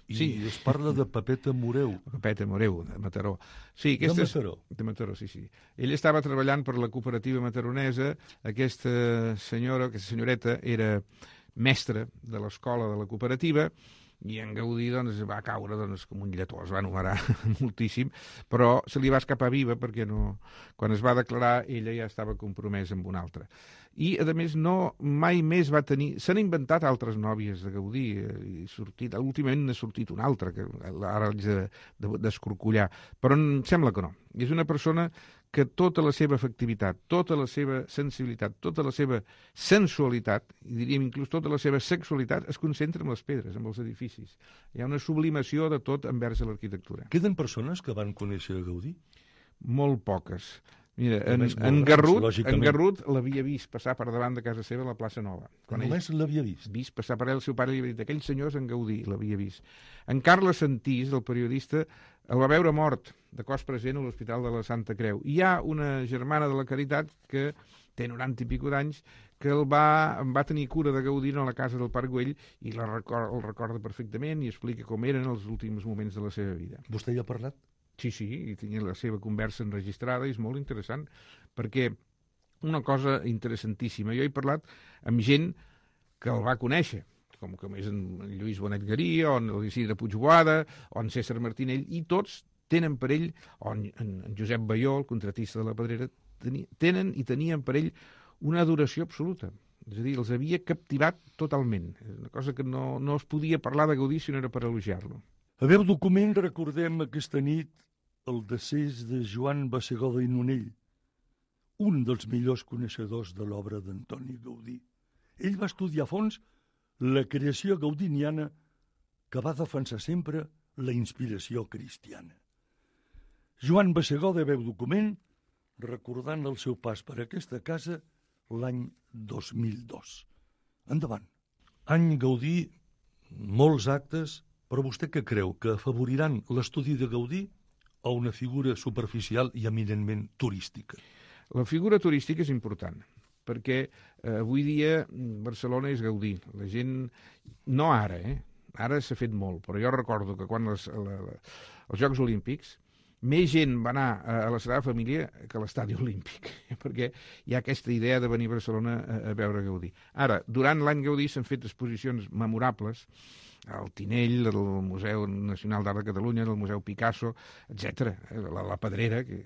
I sí. Es parla de Pepeta Moreu. Pepeta Moreu, de Mataró. Sí, de Mataró. És... De Mataró, sí, sí. Ell estava treballant per la cooperativa mataronesa. Aquesta senyora, aquesta senyoreta, era mestra de l'escola de la cooperativa, i en Gaudí doncs, va caure doncs, com un lletó, es va enumerar moltíssim, però se li va escapar viva perquè no, quan es va declarar ella ja estava compromesa amb una altra. I, a més, no, mai més va tenir... S'han inventat altres nòvies de Gaudí, i sortit, últimament n'ha sortit una altra, que ara haig de, de, d'escorcollar, però em sembla que no. És una persona que tota la seva efectivitat, tota la seva sensibilitat, tota la seva sensualitat, i diríem inclús tota la seva sexualitat, es concentra en les pedres, en els edificis. Hi ha una sublimació de tot envers l'arquitectura. Queden persones que van conèixer Gaudí? Molt poques. Mira, en, en, Garrut, en Garrut l'havia vist passar per davant de casa seva a la plaça Nova. Quan només l'havia vist? Vist passar per ell, el seu pare li havia dit, aquell senyor és en Gaudí, l'havia vist. En Carles Santís, el periodista, el va veure mort, de cos present a l'Hospital de la Santa Creu. I hi ha una germana de la Caritat que té noranta i pico d'anys, que el va, va tenir cura de Gaudí a la casa del Parc Güell i la record, el recorda perfectament i explica com eren els últims moments de la seva vida. Vostè hi ha parlat? Sí, sí, i tenia la seva conversa enregistrada i és molt interessant, perquè una cosa interessantíssima, jo he parlat amb gent que el va conèixer, com que és en Lluís Bonet Garí, o en l'Isidre Puigboada, o en César Martinell, i tots tenen per ell, o en, en Josep Baió, el contratista de la Pedrera, teni, tenen i tenien per ell una adoració absoluta. És a dir, els havia captivat totalment. És una cosa que no, no es podia parlar de Gaudí si no era per elogiar-lo. A veu document recordem aquesta nit el decés de Joan Bassegoda i Nonell, un dels millors coneixedors de l'obra d'Antoni Gaudí. Ell va estudiar a fons la creació gaudiniana que va defensar sempre la inspiració cristiana. Joan Bassegoda veu document recordant el seu pas per aquesta casa l'any dos mil dos. Endavant. Any Gaudí, molts actes, però vostè què creu? Que afavoriran l'estudi de Gaudí o una figura superficial i eminentment turística? La figura turística és important, perquè eh, avui dia Barcelona és Gaudí. La gent, no ara, eh? Ara s'ha fet molt, però jo recordo que quan les, la, la, els Jocs Olímpics més gent va anar a la Sagrada Família que a l'Estadi Olímpic, perquè hi ha aquesta idea de venir a Barcelona a, a veure Gaudí. Ara, durant l'any Gaudí s'han fet exposicions memorables al Tinell, al Museu Nacional d'Art de Catalunya, al Museu Picasso, etcètera. La, la Pedrera, que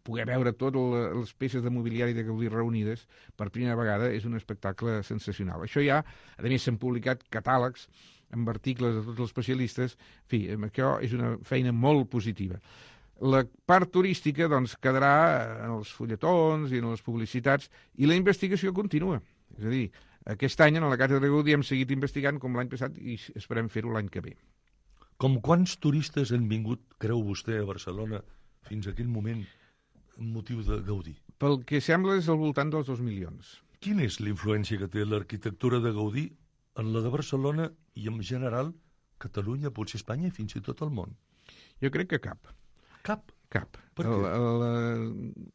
poder veure totes les peces de mobiliari de Gaudí reunides per primera vegada és un espectacle sensacional. Això ja, a més, s'han publicat catàlegs amb articles de tots els especialistes. En fi, això és una feina molt positiva. La part turística doncs, quedarà en els fulletons i en les publicitats, i la investigació continua. És a dir, aquest any, en la Càtedra de Gaudí, hem seguit investigant com l'any passat i esperem fer-ho l'any que ve. Com quants turistes han vingut, creu vostè, a Barcelona fins a aquell moment amb motiu de Gaudí? Pel que sembla és al voltant dels dos milions. Quina és la influència que té l'arquitectura de Gaudí en la de Barcelona i, en general, Catalunya, potser Espanya i fins i tot el món? Jo crec que cap. Cap? Cap. Per què? El, el,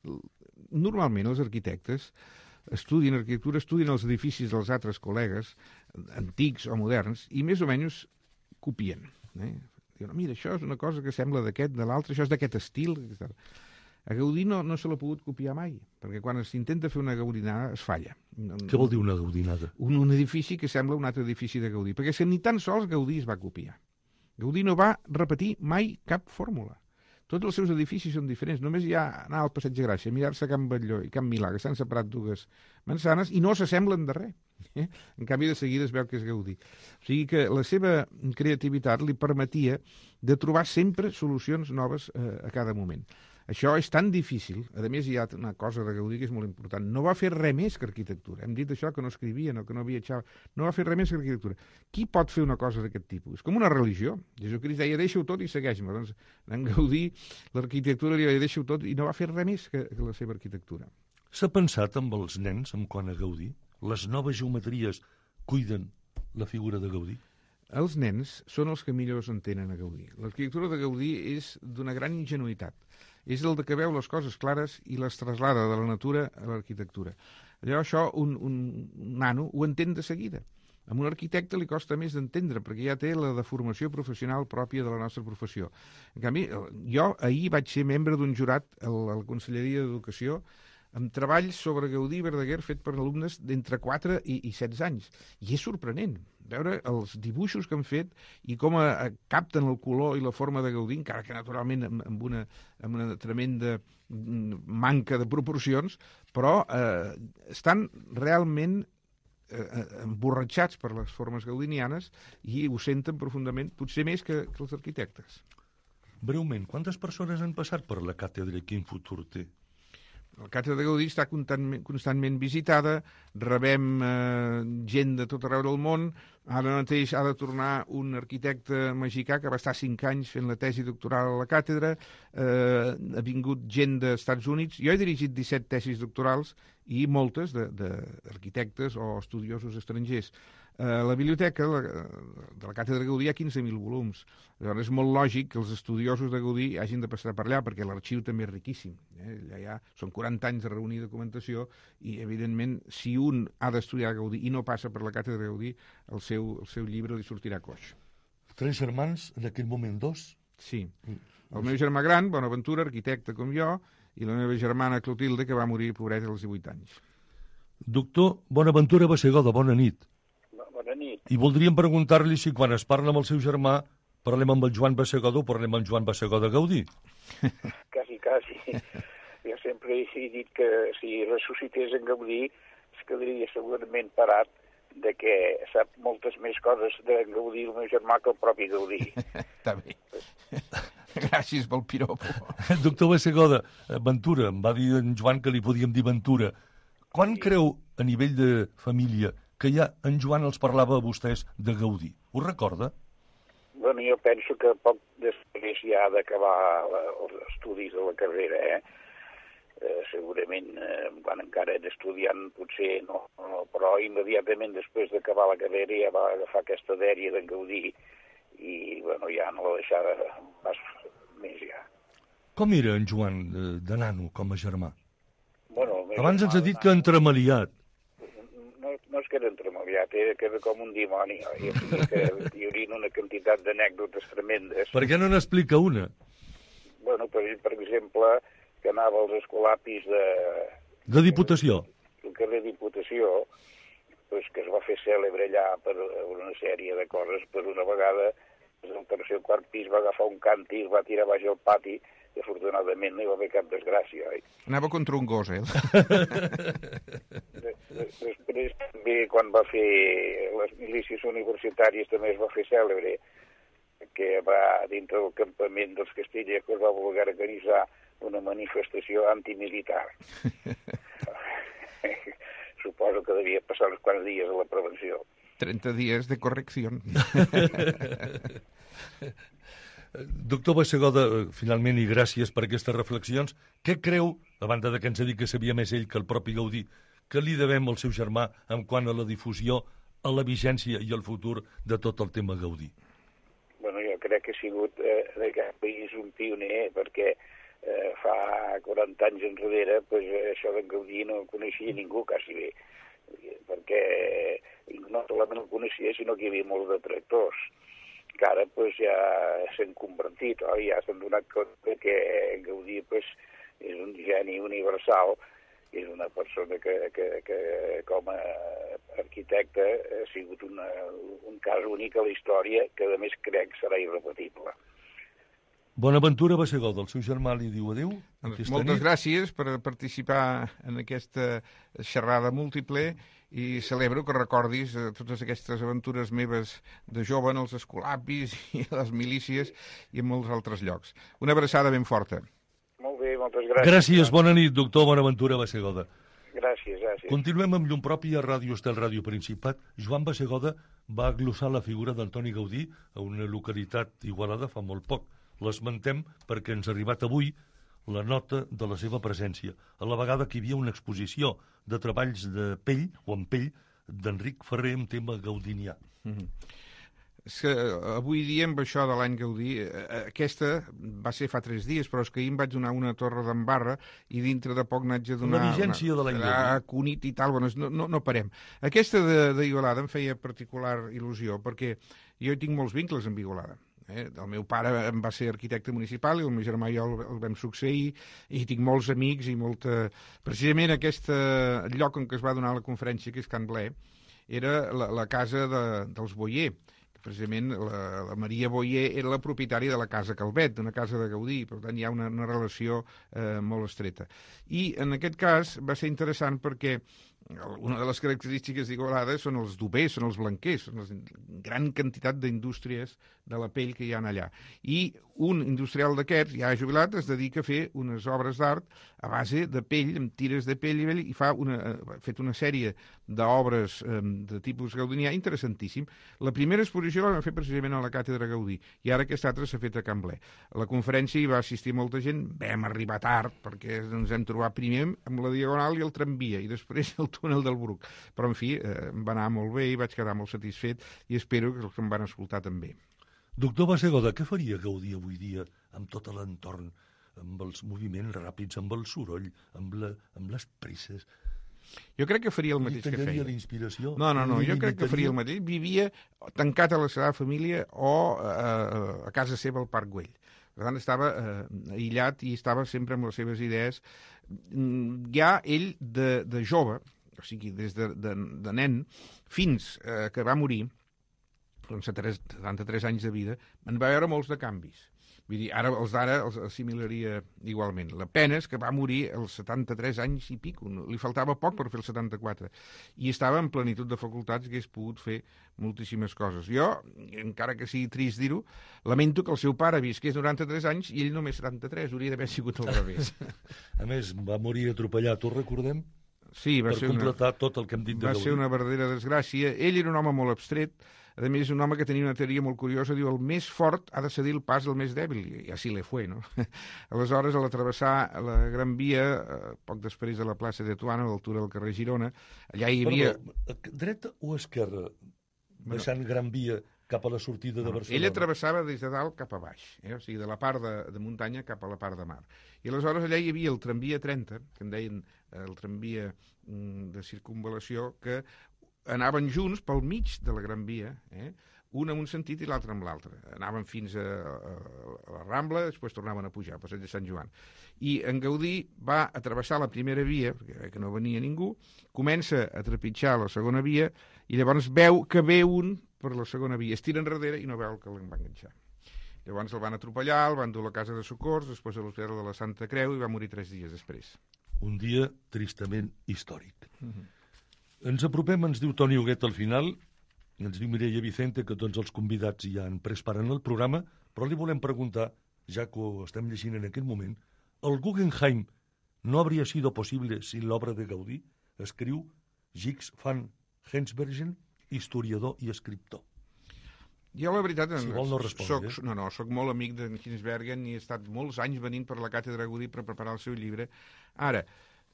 el, normalment els arquitectes estudien arquitectura, estudien els edificis dels altres col·legues, antics o moderns, i més o menys copien. Eh? Diuen, mira, això és una cosa que sembla d'aquest, de l'altre, això és d'aquest estil. A Gaudí no, no se l'ha pogut copiar mai, perquè quan s'intenta fer una gaudinada es falla. Què vol dir una gaudinada? Un, un edifici que sembla un altre edifici de Gaudí, perquè si ni tan sols Gaudí es va copiar. Gaudí no va repetir mai cap fórmula. Tots els seus edificis són diferents. Només hi ha anar al Passeig de Gràcia, mirar-se Can Batlló i Can Milà, que s'han separat dues manzanes, i no s'assemblen de res. Eh? En canvi, de seguida es veu que és Gaudí. O sigui que la seva creativitat li permetia de trobar sempre solucions noves eh, a cada moment. Això és tan difícil. A més, hi ha una cosa de Gaudí que és molt important. No va fer res més que arquitectura. Hem dit això, que no escrivia, no, que no viatjava. No va fer res més que arquitectura. Qui pot fer una cosa d'aquest tipus? És com una religió. Jesucrist deia, deixa-ho tot i segueix-me. Doncs en Gaudí, l'arquitectura li deia, deixa-ho tot, i no va fer res més que, que la seva arquitectura. S'ha pensat amb els nens en quant a Gaudí? Les noves geometries cuiden la figura de Gaudí? Els nens són els que millor entenen a Gaudí. L'arquitectura de Gaudí és d'una gran ingenuïtat. És el de que veu les coses clares i les traslada de la natura a l'arquitectura. Allò, això, un, un, un nano ho entén de seguida. A un arquitecte li costa més d'entendre, perquè ja té la deformació professional pròpia de la nostra professió. En canvi, jo ahir vaig ser membre d'un jurat a la Conselleria d'Educació amb treballs sobre Gaudí i Verdaguer fet per alumnes d'entre quatre i, i setze anys. I és sorprenent veure els dibuixos que han fet i com a, a capten el color i la forma de Gaudí, encara que naturalment amb, amb, una, amb una tremenda manca de proporcions, però eh, estan realment eh, emborratxats per les formes gaudinianes i ho senten profundament, potser més que, que els arquitectes. Breument, quantes persones han passat per la càtedra i quin futur té? La Càtedra de Gaudí està constantment, constantment visitada, rebem eh, gent de tot arreu del món. Ara mateix ha de tornar un arquitecte mexicà que va estar cinc anys fent la tesi doctoral a la càtedra, eh, ha vingut gent dels Estats Units. Jo he dirigit disset tesis doctorals i moltes d'arquitectes o estudiosos estrangers. A la biblioteca la, de la Càtedra Gaudí hi ha quinze mil volums. Llavors és molt lògic que els estudiosos de Gaudí hagin de passar per allà, perquè l'arxiu també és riquíssim. Eh? Allà hi ha, són quaranta anys de reunir documentació i, evidentment, si un ha d'estudiar Gaudí i no passa per la Càtedra Gaudí, el seu, el seu llibre li sortirà coix. Tres germans, en aquell moment dos? Sí. El meu germà gran, Bonaventura, arquitecte com jo, i la meva germana Clotilde, que va morir, pobreta, als divuit anys. Doctor Bonaventura Bassegoda, bona nit. Bona nit. I voldríem preguntar-li si quan es parla amb el seu germà parlem amb el Joan Bassegoda o parlem amb Joan Bassegoda Gaudí. Quasi, quasi. Jo sempre he dit que si ressuscités en Gaudí es quedaria segurament parat de que sap moltes més coses de Gaudí el meu germà que el propi Gaudí. Està bé. Gràcies pel piropo. Doctor Bassegoda, Ventura, em va dir en Joan que li podíem dir Ventura. Quan sí. creu, a nivell de família, que ja en Joan els parlava a vostès de Gaudí? Ho recorda? Bueno, jo penso que poc després ja d'acabar els estudis de la carrera, eh? eh segurament, eh, quan encara era estudiant, potser no, no, però immediatament després d'acabar la carrera ja va agafar aquesta dèria d'en Gaudí i, bueno, ja no la deixava pas més ja. Com era en Joan de, de nano, com a germà? Bueno, abans ens ha dit que entremaliat. No, no és que era entremaliat, era que era com un dimoni. Oi? Que hi hauria una quantitat d'anècdotes tremendes. Per què no n'explica una? Bueno, per, per exemple, que anava als escolapis de... De Diputació. El carrer Diputació, pues, que es va fer cèlebre allà per una sèrie de coses. Per una vegada, el tercer o quart pis va agafar un càntir, va tirar baix al pati, i afortunadament no hi va haver cap desgràcia. Oi? Anava contra un gos, eh? Després també, quan va fer les milícies universitàries, també es va fer cèlebre, que va dintre del campament dels castellers va voler organitzar una manifestació antimilitar. Suposo que devia passar uns quants dies a la prevenció. trenta dies de correcció. Doctor Bassegoda, finalment, i gràcies per aquestes reflexions, què creu, a banda de que ens ha dit que sabia més ell que el propi Gaudí, que li devem al seu germà en quant a la difusió, a la vigència i al futur de tot el tema Gaudí? Bueno, jo crec que ha sigut eh, d'aquest país un pioner, perquè eh, fa quaranta anys enrere pues, això d'en Gaudí no coneixia ningú quasi bé, perquè no solament el coneixia, sinó que hi havia molts detractors, que ara pues, ja s'han convertit, oi? Ja s'han donat compte que Gaudí pues, és un geni universal, és una persona que, que, que com a arquitecte ha sigut una, un cas únic a la història, que a més crec serà irrepetible. Bonaventura Bassegoda, el seu germà li diu adéu. Moltes nit. Gràcies per participar en aquesta xerrada múltiple i celebro que recordis eh, totes aquestes aventures meves de jove en els escolapis i les milícies i en molts altres llocs. Una abraçada ben forta. Molt bé, moltes gràcies. Gràcies, bona nit, doctor Bonaventura Bassegoda. Gràcies, gràcies. Continuem amb llum pròpia a Ràdio Estel, Ràdio Principat. Joan Bassegoda va glossar la figura d'Antoni Gaudí a una localitat d'Igualada fa molt poc. L'esmentem perquè ens ha arribat avui la nota de la seva presència, a la vegada que hi havia una exposició de treballs de pell, o en pell, d'Enric Ferrer amb tema gaudinià. Mm-hmm. És que avui dia, amb això de l'any Gaudí, aquesta va ser fa tres dies, però és que ahir em vaig donar una torre d'embarra i dintre de poc n'haig de donar... La vigència una, de l'any Gaudí. A Cunit i tal, bueno, no, no, no parem. Aquesta d'Igualada em feia particular il·lusió, perquè jo tinc molts vincles amb Igualada. Eh? El meu pare em va ser arquitecte municipal i el meu germà i jo el, el vam succeir i tinc molts amics i molta... Precisament aquest lloc on es va donar la conferència, que és Can Blé, era la, la casa de, dels Boyer. Precisament la, la Maria Boyer era la propietària de la Casa Calvet, d'una casa de Gaudí, per tant hi ha una, una relació eh, molt estreta. I en aquest cas va ser interessant perquè una de les característiques d'Igualada són els dubers, són els blanquers, són la gran quantitat d'indústries de la pell que hi ha allà. I un industrial d'aquests, ja jubilat, es dedica a fer unes obres d'art a base de pell, amb tires de pell, i fa una, ha fet una sèrie d'obres eh, de tipus gaudinià interessantíssim. La primera exposició la vam fer precisament a la Càtedra Gaudí, i ara aquesta altra s'ha fet a Can Blé. A la conferència hi va assistir molta gent, vam arribar tard, perquè ens hem trobat primer amb la Diagonal i el tramvia, i després el túnel del Bruc. Però, en fi, eh, em va anar molt bé i vaig quedar molt satisfet i espero que els que em van escoltar també. Doctor Bassegoda, què faria Gaudí avui dia amb tot l'entorn, amb els moviments ràpids, amb el soroll, amb, la, amb les presses? Jo crec que faria el mateix que feia. L'inspiració? No, no, no, jo crec que faria el mateix. Vivia tancat a la seva família o eh, a casa seva al Parc Güell. Per tant, estava eh, aïllat i estava sempre amb les seves idees. Ja ell, de, de jove, o sigui, des de, de, de nen, fins eh, que va morir, amb setanta-tres anys de vida, en va veure molts de canvis. Vull dir, ara els d'ara els assimilaria igualment. La pena és que va morir als setanta-tres anys i pico. Li faltava poc per fer els setanta-quatre. I estava en plenitud de facultats que hagués pogut fer moltíssimes coses. Jo, encara que sigui trist dir-ho, lamento que el seu pare visqués noranta-tres anys i ell només setanta-tres. Hauria d'haver sigut al revés. A més, va morir atropellat, ho recordem? Sí, va per ser completar una... tot el que hem dit de Va Gaudí. ser una verdadera desgràcia. Ell era un home molt abstret. A més, un home que tenia una teoria molt curiosa, diu, el més fort ha de cedir el pas al més dèbil, i així le fue, no? Aleshores, a l'atravessar la Gran Via, eh, poc després de la plaça de Tuana, a l'altura del carrer Girona, allà hi havia... Perdó, dreta o esquerra, baixant bueno, Gran Via cap a la sortida de Barcelona? Ell atravessava des de dalt cap a baix, eh? O sigui, de la part de, de muntanya cap a la part de mar. I aleshores allà hi havia el tramvia trenta, que en deien el tramvia mm, de circunvalació, que anaven junts pel mig de la Gran Via, eh? Un en un sentit i l'altre en l'altre. Anaven fins a, a, a la Rambla, després tornaven a pujar, al passeig de Sant Joan. I en Gaudí va a travessar la primera via, perquè que no venia ningú, comença a trepitjar la segona via i llavors veu que ve un per la segona via, es tira enrere i no veu que l'en va enganxar. Llavors el van atropellar, el van dur a la casa de socors, després a l'Hospital de la Santa Creu i va morir tres dies després. Un dia tristament històric. Uh-huh. Ens apropem, ens diu Toni Huguet al final, ens diu Mireia Vicente que tots els convidats ja han pres part en el programa, però li volem preguntar, ja que ho estem llegint en aquest moment, el Guggenheim no hauria sido posible sin l'obra de Gaudí? Escriu Gix van Hensbergen, historiador i escriptor. Jo, la veritat, si vol no respondre, soc, eh? no, no, soc molt amic d'en Hensbergen i he estat molts anys venint per la càtedra Gaudí per preparar el seu llibre. Ara,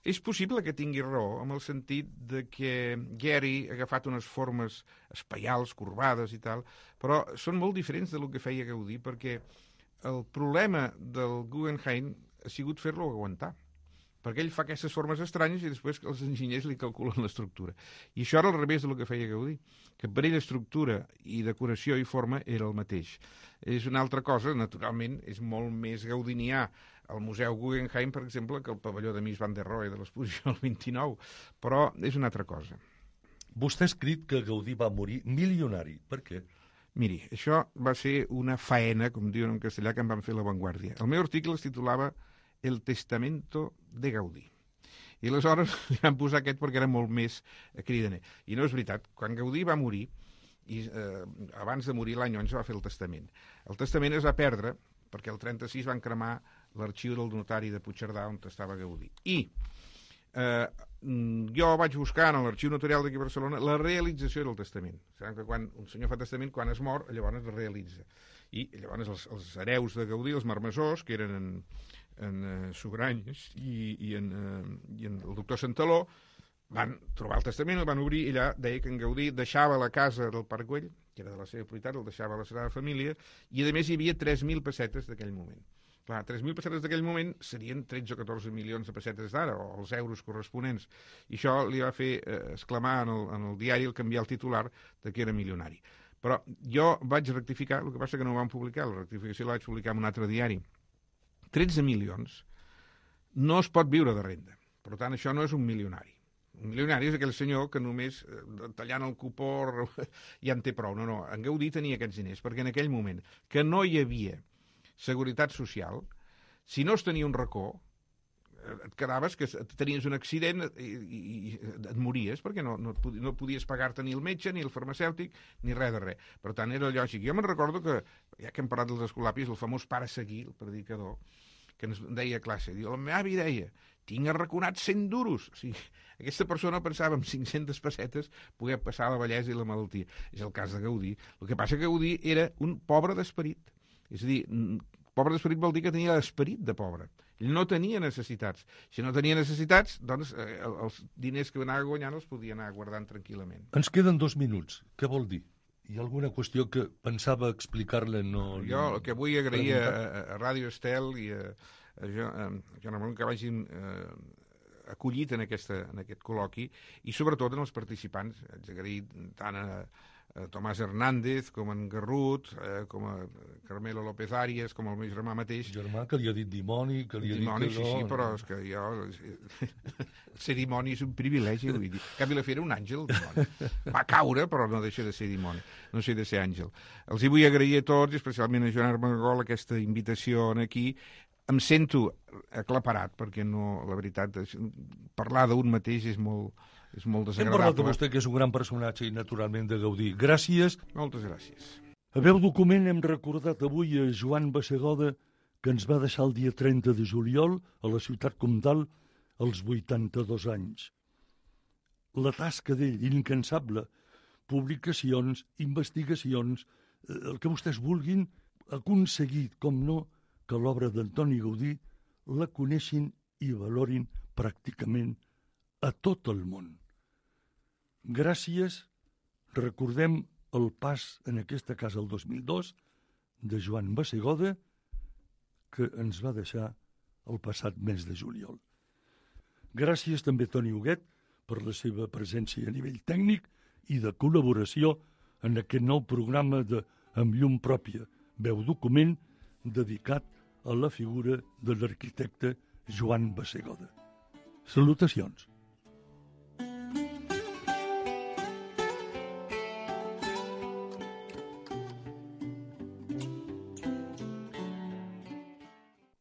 és possible que tingui raó en el sentit de que Gehry ha agafat unes formes espaials, corbades i tal, però són molt diferents del que feia Gaudí, perquè el problema del Guggenheim ha sigut fer-lo aguantar, perquè ell fa aquestes formes estranyes i després els enginyers li calculen l'estructura. I això era al revés del que feia Gaudí, que per ell estructura i decoració i forma era el mateix. És una altra cosa, naturalment, és molt més gaudinià al Museu Guggenheim, per exemple, que el pavelló de Mies van der Rohe de l'exposició del vint-i-nou, però és una altra cosa. Vostè ha escrit que Gaudí va morir milionari. Per què? Miri, això va ser una faena, com diuen en castellà, que em van fer La Vanguardia. El meu article es titulava El testamento de Gaudí. I aleshores li van posar aquest perquè era molt més cridaner. I no és veritat. Quan Gaudí va morir, i eh, abans de morir l'any onze va fer el testament. El testament es va perdre perquè el trenta-sis van cremar l'arxiu del notari de Puigcerdà on estava Gaudí. I eh, jo vaig buscar en l'arxiu notarial d'aquí a Barcelona la realització del testament. Sabem que quan un senyor fa testament, quan es mor, llavors es realitza. I llavors els, els hereus de Gaudí, els marmessors, que eren en, en uh, Sugranyes i, i, en, uh, i en el doctor Santaló, van trobar el testament, el van obrir i allà deia que en Gaudí deixava la casa del Parc Güell, que era de la seva propietat, el deixava a la seva família, i a més hi havia tres mil pessetes d'aquell moment. Clar, tres mil pessetes d'aquell moment serien tretze o catorze milions de pessetes d'ara, o els euros corresponents. I això li va fer eh, exclamar en el, en el diari, el canviar el titular, de que era milionari. Però jo vaig rectificar, el que passa que no ho vam publicar, la rectificació la vaig publicar en un altre diari. tretze milions no es pot viure de renda. Per tant, això no és un milionari. Un milionari és aquell senyor que només eh, tallant el cupó ja en té prou. No, no, en Gaudí tenia aquests diners, perquè en aquell moment que no hi havia seguretat social, si no es tenia un racó, et quedaves que tenies un accident i, i, i et mories, perquè no, no, no podies pagar-te ni el metge, ni el farmacèutic, ni res de res. Per tant, era lògic. Jo me'n recordo que, ja que hem parlat dels escolapis, el famós pare Seguí, el predicador, que ens deia a classe, diu, la meva avi deia, tinc arraconat cent duros. O sigui, aquesta persona pensava en cinc-centes pessetes poder passar la vellesa i la malaltia. És el cas de Gaudí. El que passa que Gaudí era un pobre d'esperit. És a dir, Pobre d'esperit vol dir que tenia esperit de pobre. Ell no tenia necessitats. Si no tenia necessitats, doncs eh, els diners que anava guanyant els podia anar guardant tranquil·lament. Ens queden dos minuts. Què vol dir? Hi ha alguna qüestió que pensava explicar-la? No, jo el que vull agrair a, a Ràdio Estel i a, a, jo, a Joan Ramon que vagin eh, acollit en, aquesta, en aquest col·loqui i sobretot en els participants. Haig d'agrair tant a, a Tomàs Hernández com en Garrut, eh, com a Carmelo López Arias, com el meu germà mateix. Germà que li ha dit dimoni, que li ha dimoni, dit que sí, no... sí, però és que jo... ser dimoni és un privilegi, vull dir. En canvi, la fera un àngel, dimoni. Va caure, però no deixa de ser dimoni. No sé de ser àngel. Els hi vull agrair a tots, especialment a Joan Armengol, aquesta invitació aquí. Em sento aclaparat, perquè no, la veritat, parlar d'un mateix és molt, és molt desagradable. Hem parlat de vostè, que és un gran personatge i naturalment de gaudir. Gràcies. Moltes gràcies. A veu document hem recordat avui a Joan Bassegoda, que ens va deixar el dia trenta de juliol a la ciutat comtal als vuitanta-dos anys. La tasca d'ell, incansable, publicacions, investigacions, el que vostès vulguin, ha aconseguit, com no, que l'obra d'Antoni Gaudí la coneixin i valorin pràcticament a tot el món. Gràcies, recordem el pas en aquesta casa el dos mil dos de Joan Bassegoda, que ens va deixar el passat mes de juliol. Gràcies també a Toni Huguet per la seva presència a nivell tècnic i de col·laboració en aquest nou programa de Amb llum pròpia, veu document dedicat a la figura de l'arquitecte Joan Bassegoda. Salutacions.